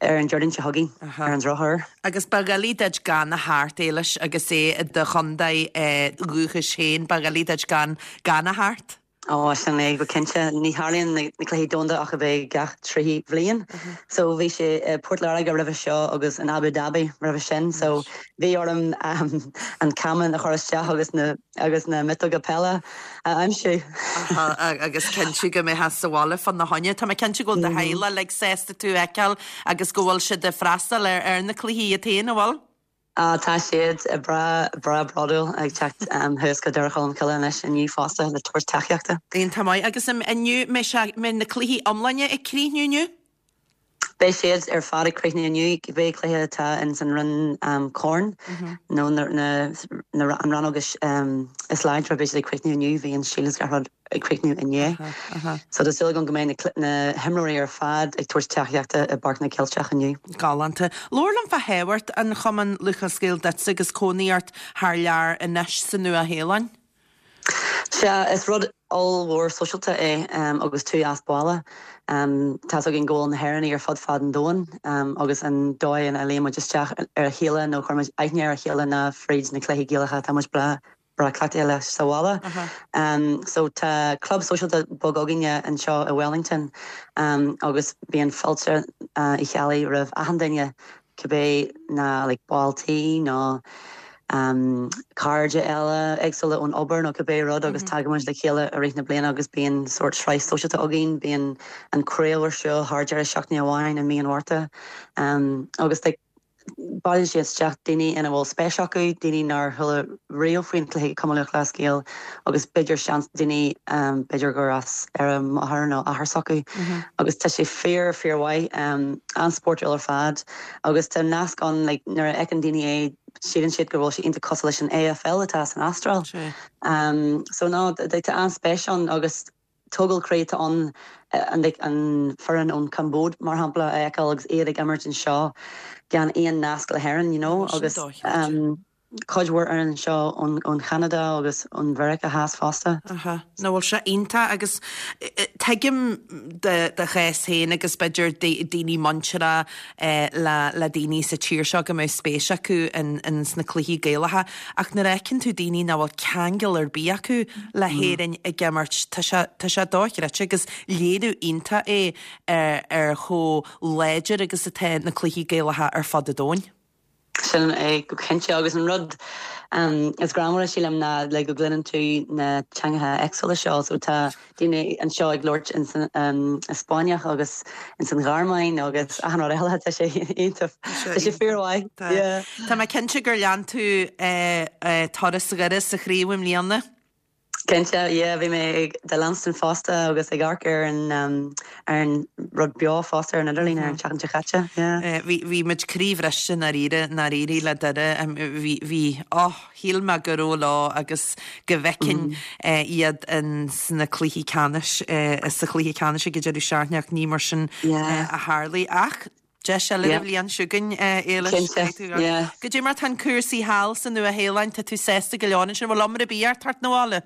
ar an Déardaoin seo chugainn ar an drochuair. Agus ba dhoiligh duit gan a theacht Éilis agus é i do chontae eh, dúchais féin ba dhoiligh duit gan gan a theacht? Ó sin é go cinnte ní tharlaíonn na cluichí domhanda ach a bheith gach trí bhliain. So bhí sé uh, Port Láirge roimhe seo agus in Abu Dhabi roimhe sin, so bhí orm um, an camán a chur isteach agus na agus na miotóga peile a aimsiú. agus cinntiú go mbeifeá sa bhaile fá choinne Tá mé cinnte go bhfuil do theaghlach like sásta tú a fheiceáil agus go bhfuil siad ag freastal ar ar na cluichí iad féin an bhfuil? Uh, tá siad breá breá bródúil ag teacht um, thuas go Doire Cholm Cille anois inniu fosta le tabhairt tacaíochta. Iontach maith agus inniu mbeidh na cluichí iomlána ag críochnú inniu? Beidh siad ar fad ag críochnú inniu cibé cluiche atá in san roinn um, Corn nó na, na, na, an rannóg is, um, is láidre beidh siad ag críochnú inniu bhí an Shield gach rud ag críochnú inné. So tá súil agam go mbeidh na, na himreoirí ar fad ag tabhairt tacaíochta i bPáirc na gCeilteach inniu. Galánta. Labhair liom fá thábhacht an Chumann Lúthchleas Gael duitse agus cónaí ort thar lear anois sa Nua-Shéalainn? Sea is rud ollmhór sóisialta é um, agus tú as baile. Um, tá againn go na hÉireannaigh ar fud fad an domhain um, agus an dóigh ina luíonn muid isteach ar a chéile nó chuir aithne ar a chéile na fríd na cluichí Gaelacha tá muid breá breá cleachtaithe leis sa bhaile. Uh -huh. um, so tá club sóisialta beag againne anseo i Wellington um, agus bíonn fáilte uh, Uí Cheallaigh roimh achan duine cibé na like, ball tí nó um, cairde eile éagsúla ón obair nó cibé rud agus mm -hmm. tagaimid le chéile i rith na bliana agus bíonn sórt sraith sóisialta againn bíonn an craobh ar siúl thar deireadh seachtaine amháin i mí an Mhárta um, agus like, bailíonn siad isteach daoine ina bhfuil spéis acu daoine nár chuala riamh faoin cluiche Cumann Lúthchleas Gael agus b'fhéidir seans daoine um, b'fhéidir gur as ar a máthair nó athair s'acu mm -hmm. agus tá sé fíor fíormhaith um, an-spórtúil ar fad agus tá nasc an like, nuair a fheiceann daoine é síleann siad go bhfuil sé iontach cosúil leis an AFL atá san Astráil. Um, so ná tá an-spéis ann agus tógáil croí an an an foireann ón Cambóid mar shampla a fheiceáil agus iad ag imirt anseo gan aon nasc le hÉirinn you know agus um, cuid mhór ar anseo ón Canada agus ón Mheiriceá Theas fosta. Ná bhfuil sé iontach agus tuigim do chás féin agus b'fhéidir daoine muinteartha le le daoine sa tír seo go mbeidh spéis acu in, in sna cluichí Gaelacha ach nuair a fheiceann tú daoine nach bhfuil ceangal ar bith acu le hÉirinn ag imirt tá sé dochreidte agus léiriú iontach é ar, ar chomh láidir agus atá na cluichí Gaelacha ar fud an domhain. Sin é go cinnte agus an rud um, is greannmhaire sílim ná le go gcluineann tú na teangacha éagsúla seo so tá daoine anseo ag labhairt in san um, Spáinneach agus in san Ghearmáin agus achan rud eile tá sé iontach Tá sé fíormhaith. Tá mé cinnte gur lean tú eh, eh, turas Dhoire sa chraobh i mbliana? Cinnte bhí mé ag de leanstan fosta agus ag amharc ar an um, ar an rud beo fosta ar an idirlíon ar an tseachtain seo caite. Bhí muid croíbhriste dáiríre dáiríre le Doire bhí á shíl mé go raibh lá agus go bhfeicfinn iad in sna cluichí ceannais sa chluiche ceannais ag deireadh seachtaine ach ní mar sin a tharla ach Deis eile an bhliain seo chugainn Éilis. Goidé mar tá cúrsaí thall sa Nua-Shéalainn tá tú sásta go leor sin bhfuil iomra bí ar tart na bháile.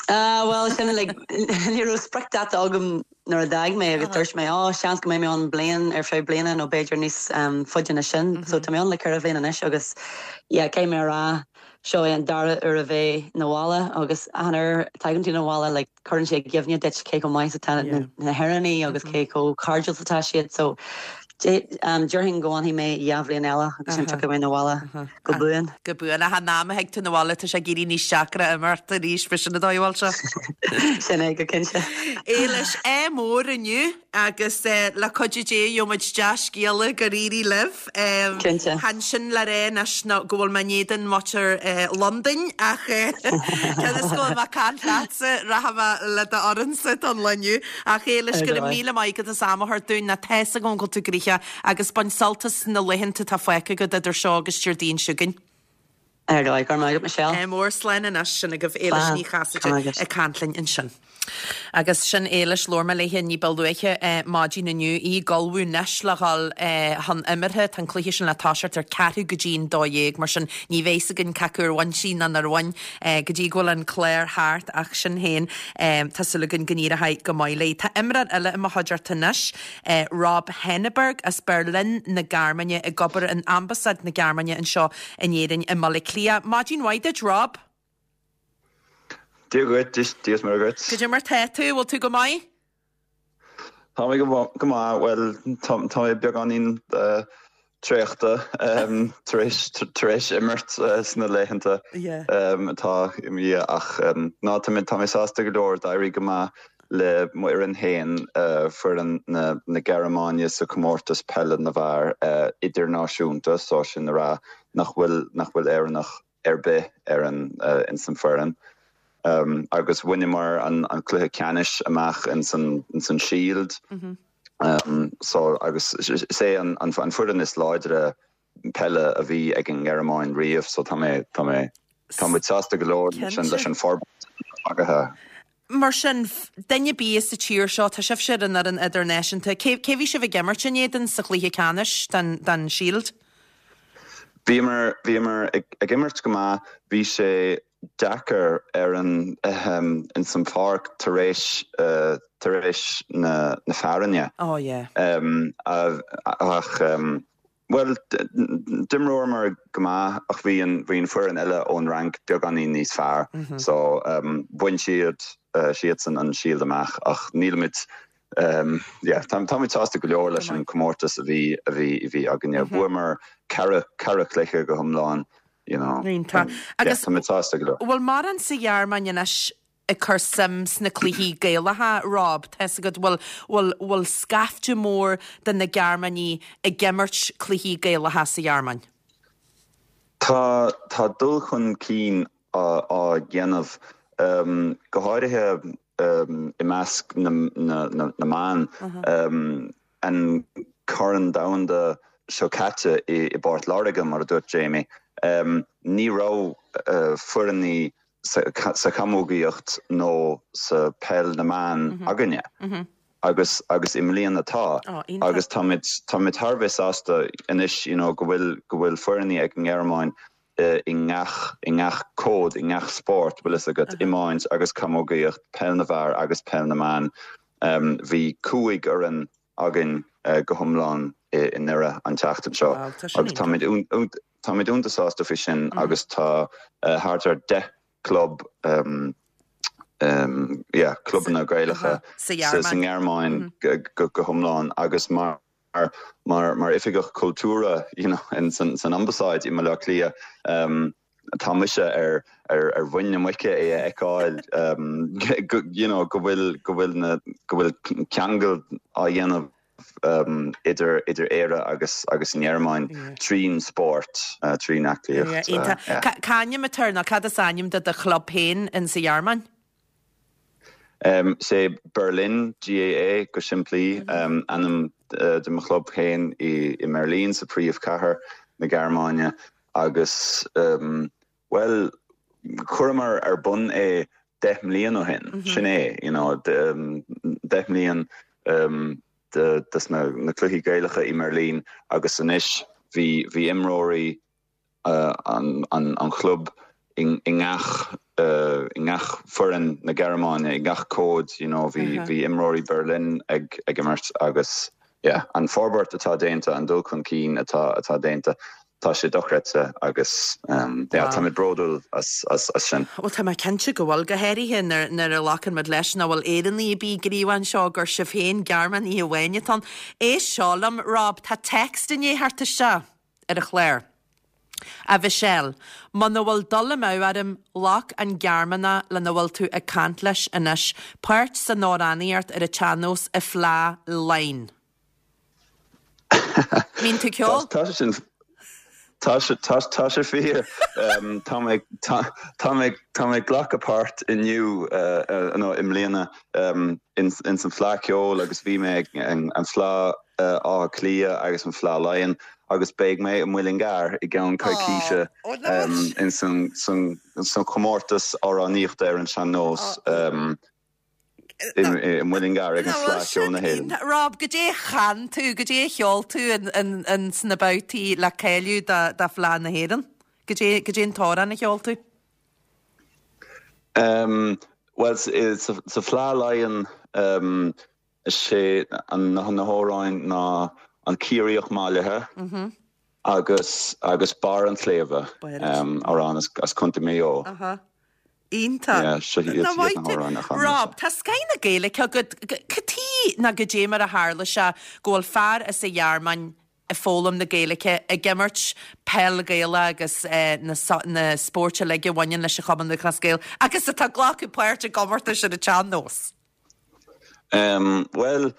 Ah, well sin like ní raibh spriocdháta agam nuair a d'fhág mé agus dúirt mé á seans go mbeidh mé ann bliain ar feadh bliana nó b'fhéidir níos um, faide ná sin, mm -hmm. so tá mé ann le ceithre bhliain anois agus yeah, cé mé rá seo é an dara uair a bheith na bhaile agus an uair tagann tú na bhaile like, cuireann sé i gcuimhne duit cé chomh maith atá na, na hÉireannaigh agus cé chomh cairdiúil atá siad so um, déarfainn go bhfanfaidh mé dhá bhliain eile agus sin tiocfaidh mé na bhaile go buan. Go buan a ná ag tú na bhaile tá sé ag éirí níos deacra imirt arís fi sin a dóhil se. Sin é go cinnte. Éilis é mór inniu agus eh, le cuidiú Dé gheobhaimid dea-scéala gur éirigh libh. Cinnte. Chan sin le rá anois ná go bhfuil mé in éadan muintir eh, Londain ach eh, cionn is go bhfuil mé ag caint leatsa rachaidh mé le d'fhoireannsa don lá inniu ach Éilis Ar go raibh dóigh. míle maith agat as am a thabhairt dúinn na tá a fhios agam go bhfuil tú gnoitheach agus bain sult as na laethanta atá fágtha agat idir seo agus Déardaoin seo chugainn. Ar dóigh go raibh maith agat Michelle. É mór slán anois sin agaibh Éilis Slán. Ní Chasaide Slán agat. ag caint linn ansin. Agus sin Éilis labhair mé léithe ní ba luaithe eh, maidin inniu í ag ullmhú anois le dhul eh, chun imeartha tá an cluiche sin le toiseacht ar ceathrú go dtí an dó dhéag mar sin ní bheidh againn cé acu ar bhain sí nó nár bhain eh, go dtí go bhfuil an clár thart ach sin féin eh, tá súil againn go n-éireoidh go maith léi. Tá imreoir eile i mo chuideachta anois eh, Rob Henneberg as Berlin na Gearmáine ag obair in Ambasáid na Gearmáine anseo in Éirinn i mBaile Átha Cliath. Maidin mhaith duit Rob? Dia dhuit Dia is Muire dhuit. Cad é mar tá tú bhfuil tú go maith? Tá mé go go maith well tá tá mé beagáinín uh, traochta um, tar éis tar éis imirt uh, sna laethanta Yeah. um, atá imithe ach um, ná tá mé tá mé sásta go leor d'éirigh go maith le m'fhoireann féin uh, foireann na, na Gearmáine sa comórtas peile na bhfear uh, idirnáisiúnta so sin rá nach bhfuil nach bhfuil Éireannach ar bith ar an uh, in san foireann. Um, agus bhaineamar an, an cluiche ceannais amach in san, in san Shield. Mm -hmm. Um, so agus is é an, an, an foireann is láidre peile a bhí ag an nGearmáin riamh, so tá mé tá mé tá mé sásta go leor sin leis an forbairt agaithe. Mar sin duine bí sa tír seo tá sibhse an ar an idirnáisiúnta, cé cé bhí sibh ag imirt in éadan sa chluiche ceannais den den Shield? Bhíomar bhíomar ag, ag imirt go maith bhí sé deacair ar an um, in san pháirc tar éis uh, tar éis na, na fearthainne. Oh yeah. Um, a, ach um, well d'imríomar go maith ach bhí an bhí an foireann eile ón Fhrainc beagáinín níos fearr mm -hmm. so um, bhain siad uh, siadsan an Shield amach ach nílimid um, yeah, tá tá sásta go leor leis an comórtas a bhí a bhí a bhí againne mm -hmm. Bhuamar ceithre ceithre chluiche go hiomlán you know Iontach. um, Agus yeah, tá sásta go leor. Bhfuil mórán sa Ghearmáin anois ag cur suim sna cluichí Gaelacha Rob Tá go bhfuil bhfuil bhfuil scaifte mór de na Gearmánaigh ag imirt cluichí Gaelacha sa Ghearmáin. Tá tá dul chun cinn á á dhéanamh um, go háirithe um, i measc na, na, na, na mban um, an Corn Domhanda seo caite i, i bPort Láirge mar a dúirt Jamie. Um, ní raibh uh, foirne sa, sa chamógaíocht nó sa peil na mban mm -hmm. againne. Mm -hmm. agus agus i mbliana tá Oh, iontach. agus táimid táimid thar bheith sásta anois you know, go bhfuil go bhfuil foirne ag an nGearmáin uh, i ngach i ngach cód i ngach sport bhfuil fhios agat iomáint agus camógaíocht peil na bhfear agus peil na mban um, bhí cúig fhoireann againn uh, go hiomlán i, i nDoire an tseachtain seo Wow, tá sin agus táimid táimid iontach sásta faoi sin mm -hmm. agus tá uh, thart ar deich club um, um, yeah, clubanna Gaelacha Sa sa Ghearmáin. nGearmáin mm -hmm. go, go hiomlán agus mar mar mar oifigeach cultúrtha you know, in san, san ambasáid i mBaile Átha Cliath um, tá mise ar ar ar mhuin na muice é a fheiceáil um, go, you know, go bhfuil go bhfuil na go bhfuil ceangal á dhéanamh um, idir idir Éire agus agus an Ghearmáin Yeah. trín sport uh, trín aclaíocht Yeah, uh, yeah. C'ainm atá nó cad is ainm do do chlub féin in sa Ghearmáin? Um, sé Berlin GAA go simplí um, ainm uh, de mo chlub féin i, i mBerlin sa príomhchathair na Gearmáine agus um, well chuireamar ar bun é deich mbliana ó shin mm -hmm. sin é you know, de, um, deich mbliana um, de, des na, na cluichí Gaelacha i mBerlin agus anois bhí bhí imreoirí uh, an, an, an chlub in, i ngach i ngach foireann na Gearmáine i ngach cód you know bhí bhí imreoirí Berlin ag ag imirt agus yeah an forbairt atá déanta an dul chun cinn atá atá déanta tá sé dochreidte agus um, yeah, tá mé bródúil as, as, as sin. Well tá mé cinnte go bhfuil go háirithe nuair a ghlacann muid leis nach bhfuil Éireannaigh ar bith gníomhach anseo gur sibh féin Gearmánaigh amháin atá ann. Éist seo liom Rob tá text inné thart isteach ar an chlár. A Mhichelle, Muna bhfuil dul amú orm ghlac an Gearmánach lena bhfuil tú ag caint leis anois, páirt san amhránaíocht ar an tsean-nós i Fleadh Laighean. Mbíonn tú ceol? Tá sin Tá tá sé fíor tá tá mé glacadh páirt inniu nó i mbliana in san Fleadh Ceoil agus bhí mé an Fleadh Átha Cliath agus an Fleadh Laighean agus beidh mé i Mullingar i gceann coicíse in san san comórtas amhránaíochta ar an sean-nós. I Mullingar ag an Fleadh Ceoil na hÉireann. Rob, goidé a chan tú, goidé a cheol tú in sna babhtaí le cáiliú do Fhleadh na hÉireann? Goidé goidé an t-amhrán a cheol tú? Um, well sa Fleadh Laighean um, sé an na na hamhráin ná an Ciarraíoch Mallaithe mm -hmm. agus agus Barr an tSléibhe um, amhrán as, as Contae Mhaigh Eo. Uh -huh. Iontach. Rob, tá scoth na Gaeilge agat cad chuige ná goidé mar a tharla sé go bhfuil fear as an Ghearmáin ag foghlaim na Gaeilge ag imirt peil Gaelach agus eh, na, na spóirt uilig a bhaineann leis an Chumann Lúthchleas Gael agus atá glacadh páirt i gcomórtais ar an tsean-nós. Um, well,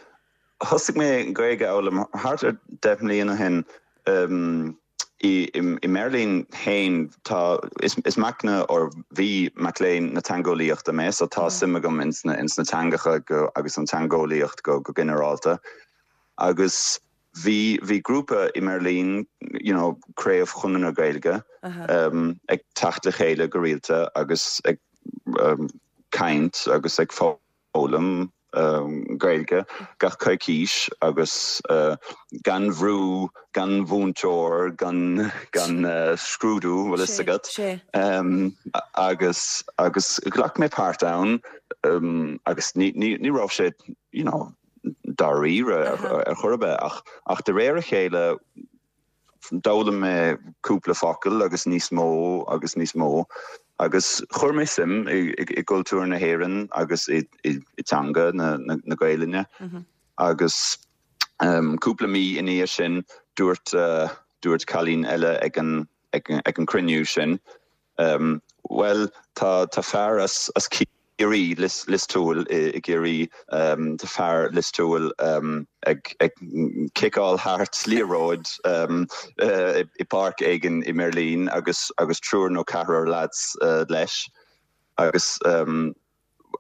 thosaigh mé Gaeilge a fhoghlaim thart ar deich mbliana ó shin um, i i mBeirlín féin tá is, is mac or bhí mac léinn na teangeolaíochta mé so tá suim agam ins na ins na teangacha go agus an teangeolaíocht go go ginearálta agus bhí bhí grúpa i mBeirlín you know craobh Chonradh na Gaeilge uh -huh. um, ag teacht le chéile go rialta agus ag um, caint agus ag foghlaim um, Gaeilge gach coicís agus uh, gan bhrú gan mhúinteoir gan gan uh, scrúdú bhfuil fhios agat um, agus agus ghlac mé páirt ann um, agus ní, ní, ní raibh sé you know, dáiríre ar, ar chor ar bith ach ach de réir a chéile d'fhoghlaim mé cúpla focal agus níos mó agus níos mó agus chuir mé suim i, i, i gcultúr na hÉireann agus i, i, i teanga na, na, na Gaeilge mm -hmm. agus um, cúpla mí ina dhiaidh sin dúirt uh, dúirt cailín eile ag an ag, ag an cruinniú sin um, well tá tá fear as as Ciarraí Lios Lios Tuathail i, i gCiarraí um, tá fear Lios Tuathail um, ag ag ciceáil thart liathróid um, uh, i, i páirc éigin i mBeirlín agus agus triúr nó ceathrar lads uh, leis agus um,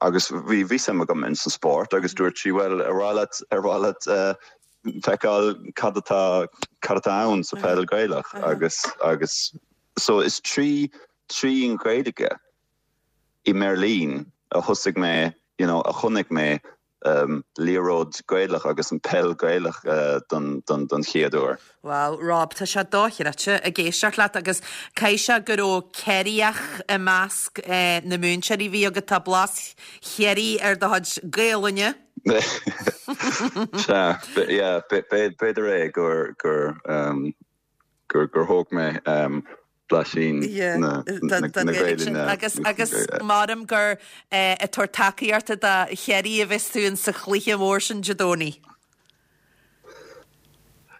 agus bhí bhí suim agam in san spórt agus dúirt sí well ar mhaith leat ar mhaith leat uh, feiceáil cad atá cad atá ann sa peil Gaelach agus agus so is trí trí an Ghaeilge i mBeirlín a thosaigh mé you know, a chonaic mé um, liathróid Gaelach agus an peil Gaelach uh, don, don, don chéad uair. Well, Rob, tá sé dochreidte ag éisteacht leat agus caithfidh sé go raibh Ciarraíoch i measc eh, na múinteoirí bhí agat tá blas Chiarraí ar do chuid Gaelainne. Sea, yeah, b'fhéidir é gur gur um, gur gur thóg mé um, blaisín na Gaeilge agus agus maram gur eh, ag tabhairt tacaíochta do Chiarraí a bheas tú in sa chluiche mór sin Dé Domhnaigh.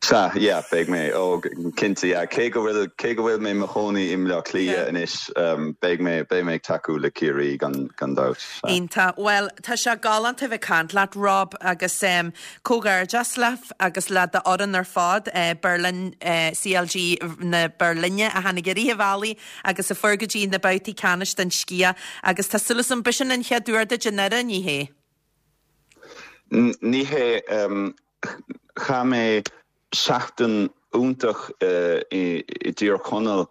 Sea, yeah, beidh mé ó cinnte yeah, cé go bhfuil cé go bhfuil mé mo chónaí i mBleá Cliath anois um, beidh mé beidh mé ag tacú le Ciarraí gan gan dabht. Iontach well tá sé galánta bheith caint leat Rob agus um, comhghairdeas leat agus le d'fhoireann ar fad uh, Berlin uh, CLG na Berline a tháinig i rith an bhealaigh agus a fuair go dtí na babhtaí ceannais den sciath agus tá súil agam b'shin an chéad uair duit i nDoire ní hé. Ní hé um, chaith mé seachtain iontach uh, i, i dTír Chonaill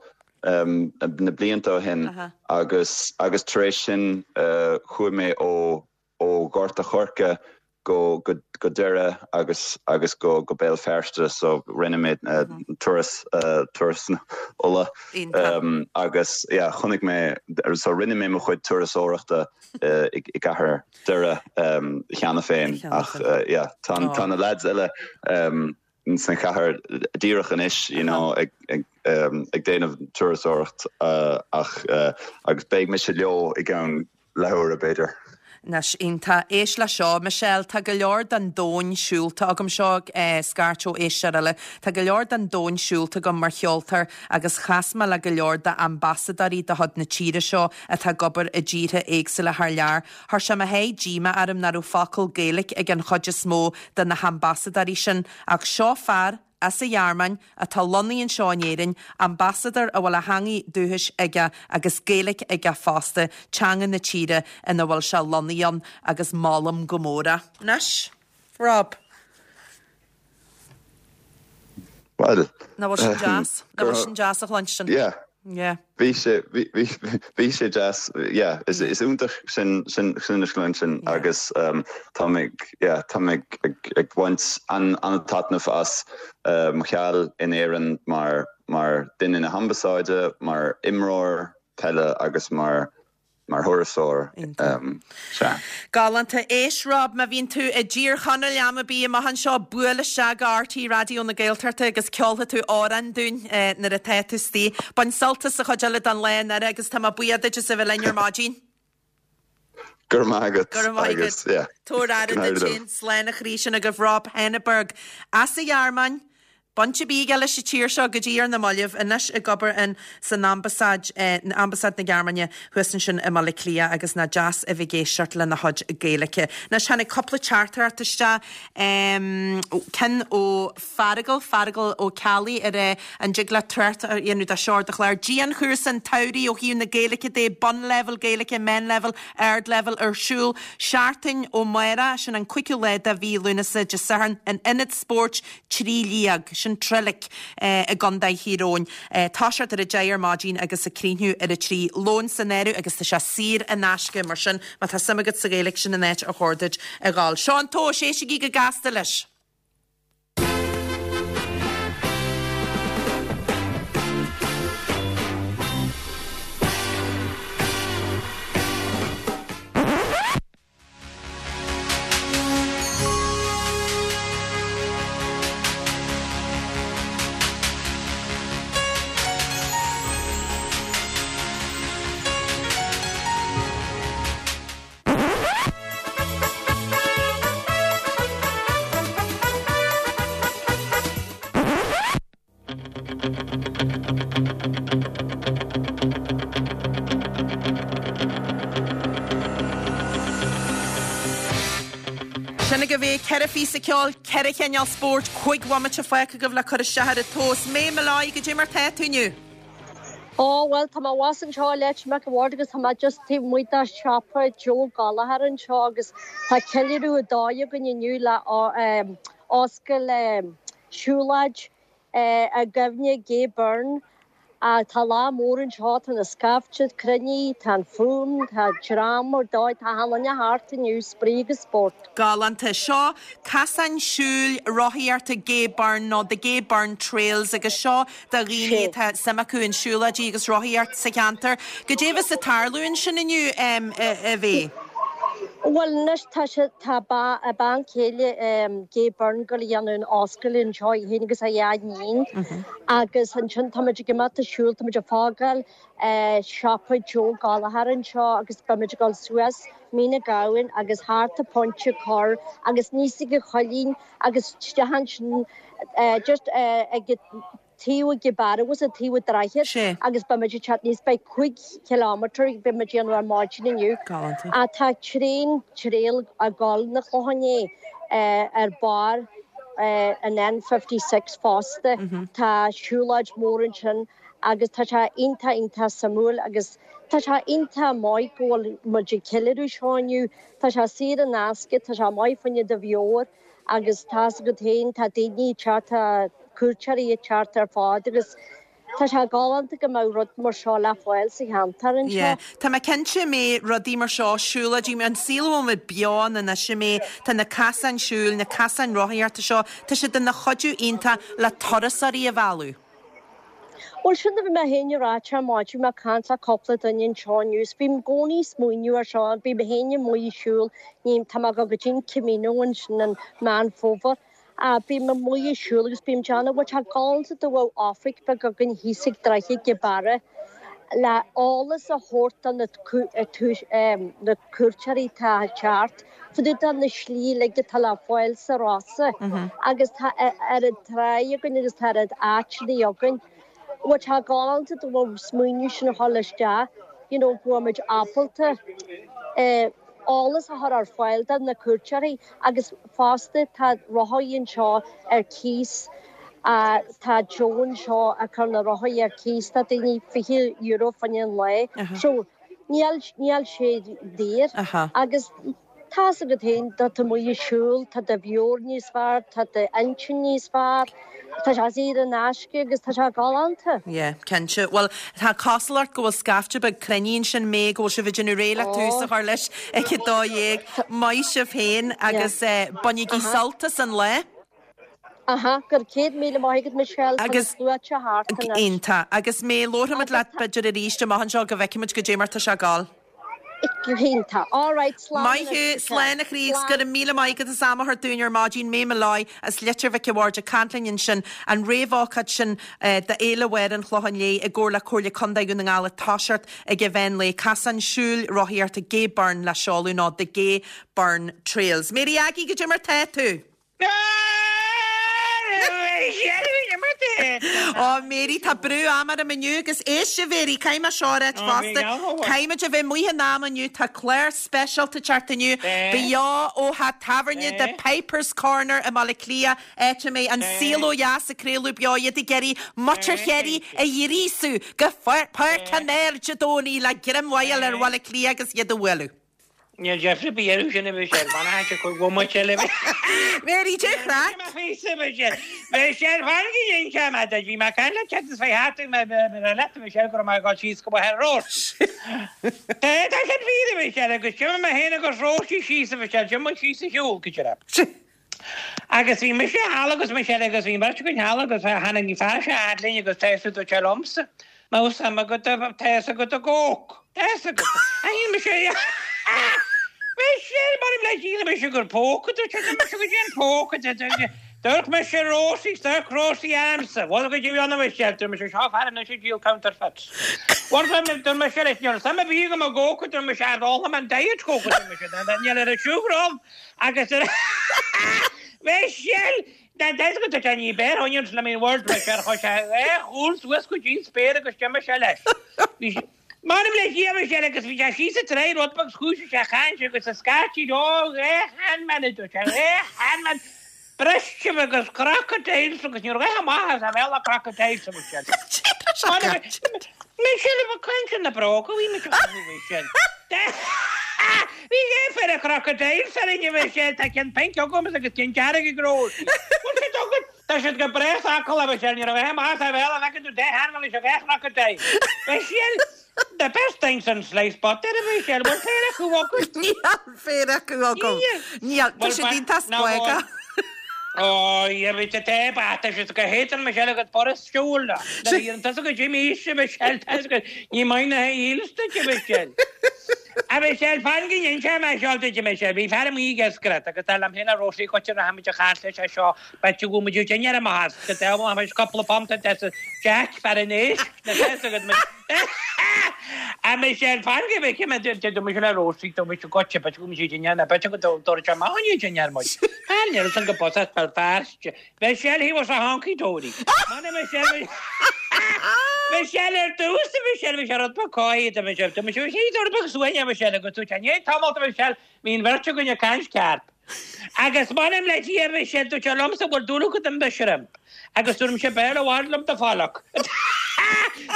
um, na blianta ó shin uh -huh. agus agus tar éis sin uh, chuaigh mé ó ó Gort a' Choirce go go go Doire agus agus go go Béal Feirste so rinne mé uh, turas uh, turas Uladh um, agus yeah, chonaic mé so rinne mé mo chuid turasóireachta uh, i i gcathair Doire um, cheana féin ach uh, yeah, tá oh. tá na lads eile um, san chathair díreach anois you know, ag, ag, um, ag déanamh turasóireacht uh, ach uh, agus beidh mise leo i gceann leathuair b'fhéidir. Anois iontach. Éist le seo, Michelle, tá go leor den domhan siúlta agam seo eh, scairt ó éisteoir eile. Tá go leor den domhan siúlta agam mar cheoltóir agus chas mé le go leor d'ambasadóirí de chuid na tíre seo atá ag obair i dtíortha éagsúla thar lear. Chuir sé mo sháith díomá orm nach raibh focal Gaeilge ag an chuid is mó de na hambasadóirí sin, ach seo fear as an Ghearmáin atá lonnaithe anseo in Éirinn, ambasadóir a bhfuil a theanga dúchais aige agus Gaeilge aige fosta, teanga na tíre ina bhfuil sé lonnaithe ann agus molaim go mór é. Anois, Rob. Well, Nach bhfuil sin deas? Nach bhfuil sin deas a chluinstin? Yeah. Yeah. Bhí sé bhí sé deas yeah, is is iontach sin sin sin a chluinstin agus um, tá yeah, tá ag ag baint an an-taitneamh as uh, mo sheal in Éirinn mar mar duine na hambasáide, mar imreoir peile agus mar mar thurasóir. Um, Galánta éist Rob má bhíonn tú i dTír Chonaill am ar bith amach anseo buail isteach go RTÉ Raidió na Gaeltachta agus ceolfaidh tú amhrán dúinn eh, nuair atá tú istigh. Bain sult as an chuid eile den lá inniu agus tá mé buíoch duit as a bheith linn ar maidin. Gur maigad Gur maigad. Tabhair aire duit féin slán a chroí sin agaibh Rob Henneberg as an Ghearmáin. Baint ar bith aige leis an tír seo go dtí ar na mallaibh anois ag obair in san ambasáid eh, ambasáid na Gearmáine thuas ansin i mBaile Átha Cliath agus nach deas a bheith ag éisteacht lena chuid Gaeilge. Anois tháinig cúpla teachtaireacht isteach um, ceann ó Feargal Feargal Ó Ceallaigh ar eh, an dtig leat trácht a dhéanamh dá seo ar do chlár. Dianchúrsa an tsamhraidh ó thaobh na Gaeilge de bunlevel Gaeilge, meánlevel, ardlevel ar siúl seachtain ó amárach sin an cúigiú lá de mhí Lúnasa Dé Sathairn in Ionad Spóirt Trí Liag sin Trillick eh, i gContae Thír Eoghain. Eh, toiseacht ar a deich ar maidin agus ag críochnú ar a trí lón san áireamh agus tá sé saor in aisce mar sin má tá suim agat sa Ghaeilge sin an áit ar chóir duit a ghabháil. Seo an tomhas éistigí go gasta leis. Sin agaibh é ceithre phíosa ceoil, ceithre chineál spóirt, cúig bhomaite fágtha agaibh le cur isteach ar an tomhas. May Molloy goidé mar tá tú inniu. Ó well tá mé abhus anseo i Leitir Mhic an Bhaird agus tá mé just taobh amuigh de siopa Joe Gallagher anseo agus tá ceiliúradh ar dóigh againn inniu le oscailt siúlóid i gcuimhne Gay Byrne. Tá lá mór anseo, tá na scaifte cruinnithe, tá an fuaim, tá dream ar dóigh, tá achan duine thart inniu, spraoi agus spórt. Galánta. Seo casán siúil rothaíochta Gay Byrne nó The Gay Byrne Trails agus seo do dhaoine atá suim acu in siúlóidí agus rothaíocht sa cheantar. Goidé a bheas ag tarlú ansin inniu a Mhay? Bhuel anois tá sé tá a bean chéile Gay Byrne ag goil a dhéanamh an oscailt anseo í féin agus a dhá iníon agus ansin táimid ag imeacht ag siúl táimid ag fágáil siopa Joe Gallagher anseo agus beimid ag dul suas Mín an Ghabhann agus thart an Pointe Corr agus aníos ag an Choillín agus isteach ansin just ag taobh ag an bearradh an taobh an droichead agus beimid ag teacht aníos beidh cúig chileámeter beimid ag déanamh ar maidin inniu. Galánta. Ach tá traein trail ag dul na Clocháin Léith ar barr an N fifty six fosta. Tá siúlóid mór ansin agus tá sé iontach iontach suimiúil agus tá sé iontach maith go bhfuil muid ag ceiliúradh seo inniu. Tá sé saor in aisce, tá sé maith fá choinne do mheabhair agus tá's agat féin tá daoine ag teacht, tá cuairteoirí ag teacht ar fad agus tá sé galánta go mbeadh rud mar seo le fáil sa cheantar anseo. Yeah. Tá mé cinnte mé rudaí mar seo siúlóidí, an saol a bhfuil muid beo ann anois a May, tá na casáin siúil, na casáin rothaíochta seo, tá siad ina chuidiú iontach le turasóirí a mhealladh. Bhuel sin a bhí mé féin ag ráit ar maidin, mé ag caint le cúpla duine anseo inniu, 's bím i gcónaí ag smaoineamh ar seo, bím mé féin amuigh ag siúl, ní, tá mé ag dul go dtí an Camino ansin in Meán Fómhair, bím amuigh ag siúl agus bím ag déanamh, bhuel tá galánta dá mbeadh oifig beag againn thíos ag Droichead Ghaoth Beara le eolas a thabhairt do na na cuairteoirí atá ag teacht fá dtaobh de na slí uilig atá le fáil sa Rosa agus tá oiread tráigh againn agus tá oiread áiteanna againn. Bhuel tá galánta dá mbeadh smaoineamh sin a dhul isteach, you know, go bhfuil muid ábalta eh, eolas a chur ar fáil do na cuairteoirí agus fosta tá rothaí anseo ar cíos Uh, tá Joe anseo ag cur na rothaí ar cíos tá daoine fiche euro fá choinne an lae. So níl níl sé daor agus tá's agat féin tá tú amuigh ag siúl, tá do mheabhair níos fearr, tá d'intinn níos fearr, tá sé saor in aisce agus tá sé galánta. Yeah, cinnte. Bhuel, tá cosúlacht go bhfuil scaifte beag cruinnithe ansin May go bhfuil sibh ag déanamh réidh le tús a chur leis ag a dó dhéag. Maith sibh féin agus eh, bainigí sult as an lá. Aha, go raibh céad míle maith agat Michelle Agus- tá na sluaite thart anois. Iontach. Agus May labharfaimid leat b'fhéidir arís amach anseo go bhfeicfimid goidé mar tá sé ag gabháil. Go hiontach. All right, slán Maith thú, anois, slán a chroí, go raibh míle maith agat as am a thabhairt dúinn ar maidin May Molloy as Leitir Mhic a' Bhaird ag caint linn ansin an réamhócáid sin eh, d'Fhéile Mháire an Chlocháin Léith i gcomhar le Comhairle Contae Dhún na nGall ag toiseacht ag an mheán lae Casán Siúil Rothaíochta Gay Byrne le seoladh nó The Gay Byrne Trails. Mary Aggie goidé mar tá tú. Ó Mary tá brú ama orm inniu agus éist a Mhary caithfidh mé seo a ráit fosta. Caithfimid a bheith amuigh in am inniu tá clár speisialta teacht inniu beo ó theach tábhairne The Piper's Corner i mBaile Átha Cliath áit a mbeidh an saol ó dheas ag craoladh beo iad ag iarraidh muintir Chiarraí a ghríosú go Páirc an Áir Dé Domhnaigh le greim mhaith a fháil ar Bhaile Átha Cliath agus iad a bhualadh. Níl Jeffrey bí air sin a bhí sé ban chu bhmuid le Mary dé chraic. Bhí sé fan go dhéon se me bhí me cai le ce fé hat me le bhí sé go mai go síos go bh rós. Tá sé bhí bhí sé agus sin me héna agus Róisí síos a bhí sé sin síos a shiúl go sé. Agus bhí mise thall agus me sé agus bhí beirt againn thall agus tháinig fear sé linn agus tá tú sé liomsa. Má sam go tá go go Tá go me sé Me sé mar le síle me gur póca póca Dúirt me sé Róisí sta Róisí amsa, Bhil go dtí anna me sé me sé seo fear na sé díol counterfeits. Dúirt me sé leis níl sam bhí go go dúirt me sé all an diet coke níl ar a siúrám agus Me sé Da go ní bé honn le mé word me sé chu sé chúl suas go dtí spéir agus me sé leis. Mar le hi sé agus bhí sé sí tré rud beag chúis sé chain agus a scátí ó man man Breiste agus crocodiles agus ní raibh amach a bheith crocodiles Me sé le cuin na bróca bhí me sin. Bhí é fe a crocodiles ar inne sé tá cin pink agam agus cin dearg gró. Tá siad go breá a sé ní raibh amach a bheith a tú de han se bheith crocodile. Me sé The best things in sliced butter a bhí sé bhfuil féar acu acu. Níl féar acu agam. Níl tá sé iontach spuaice. Ó, bhí te te sé go héan me se go por siúla. Tá go Jimmy se me se ní mai na hílsta Michelle. A bhí sé fan go sé me seo me sé bhí fear mí gescret agus tá héna Róisí go na ha chair sé seo be go mu dinner amach go te couple pump Jack fer an éis A me sé fan go bh me do me le Róisí do me go be go mu dinner na be go dó ma dinner mu. Ní san go bos Belfast. Michelle, he was a honky dory. Man Michelle Michelle ar dtús Michelle Michelle rud beag cáid Michelle Tá Michelle sí rud beag suaine Michelle agus tú ní tamalt Michelle bhí an bheirt againn ag caint cearp. Agus man le tí Michelle tú sé liomsa bhfuil dúil agat in the shrimp. Agus dúirt sé béar a bhhaid liom do fáach.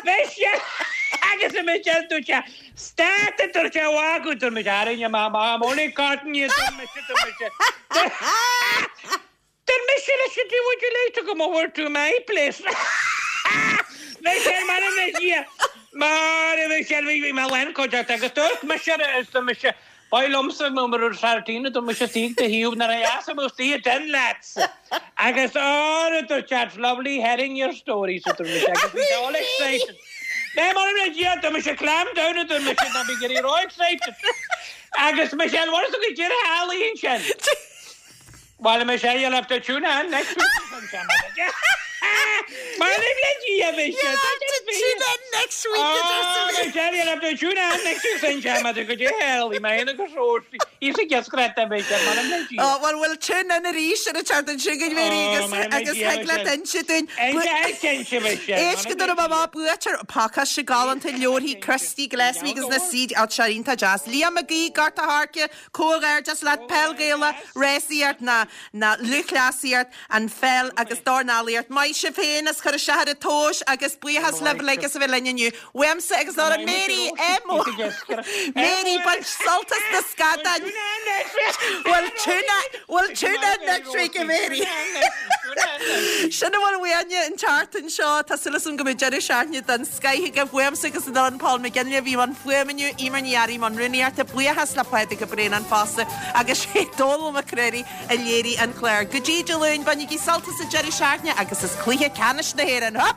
Michelle agus a Michelle tú sé stát dúirt sé bhgu dúirt me aine má má only cotton you Michelle Then Michelle should do would you like to come over to my place? Michelle, m'anam le Dia. Mar Michelle, bhí mé lán cuideachta agus dúirt mise is do mise Ba liomsa nó mar feartíine do mise tí de hiú na as mu tí den leat. Agus á do chat lovely hearing your stories so mise agus bhí all excited. Né mar le Dia do mise clam down do mise na bí getting all excited. Agus Michelle, what is go dtír healaíon sin? Well, Michelle, you'll have to tune in next week. Mar le Dia You'll have to tune in next week. Oh, Michelle, you'll have to tune in next week. Sin go dtí healaí mé agus róí. Is a gescreta Michelle, mar le Dia. Oh, well, we'll tune in arís ar an tseachtain seo chugainn Mary agus agus thig leat inse dúinn. Éist go dtí má buaitear pacáiste galánta leabharthaí Christy Gillespie agus na C D seo iontach deas. Liam Mac Aoidh, Gort a' Choirce, comhghairdeas leat peil Ghaelach, rásaíocht na na lúthchleasaíocht, an pheil agus dornálaíocht. Maith sibh féin as cur isteach ar an tomhas agus buíochas libh uilig as a bheith linn inniu. Uaimse agus Laura Mary M. Mary bain sult as na scadáin. We'll tune in, we'll tune in next week, Mary. Sin a bhfuil uainne an tseachtain seo tá súil agam go mbeidh deireadh seachtaine den scoth agaibh uaimse agus an Paul McGinley a bhí i mbun fuaime inniu, Emer Ní Fhearraigh i mbun rúnaíochta, buíochas le Pádraig Ó Braonáin fosta agus sé Dónal Mac Creary a léirigh an clár. Go dtí Dé Luain, bainigí sult as an deireadh seachtaine agus is cluiche ceannais na hÉireann. Hup!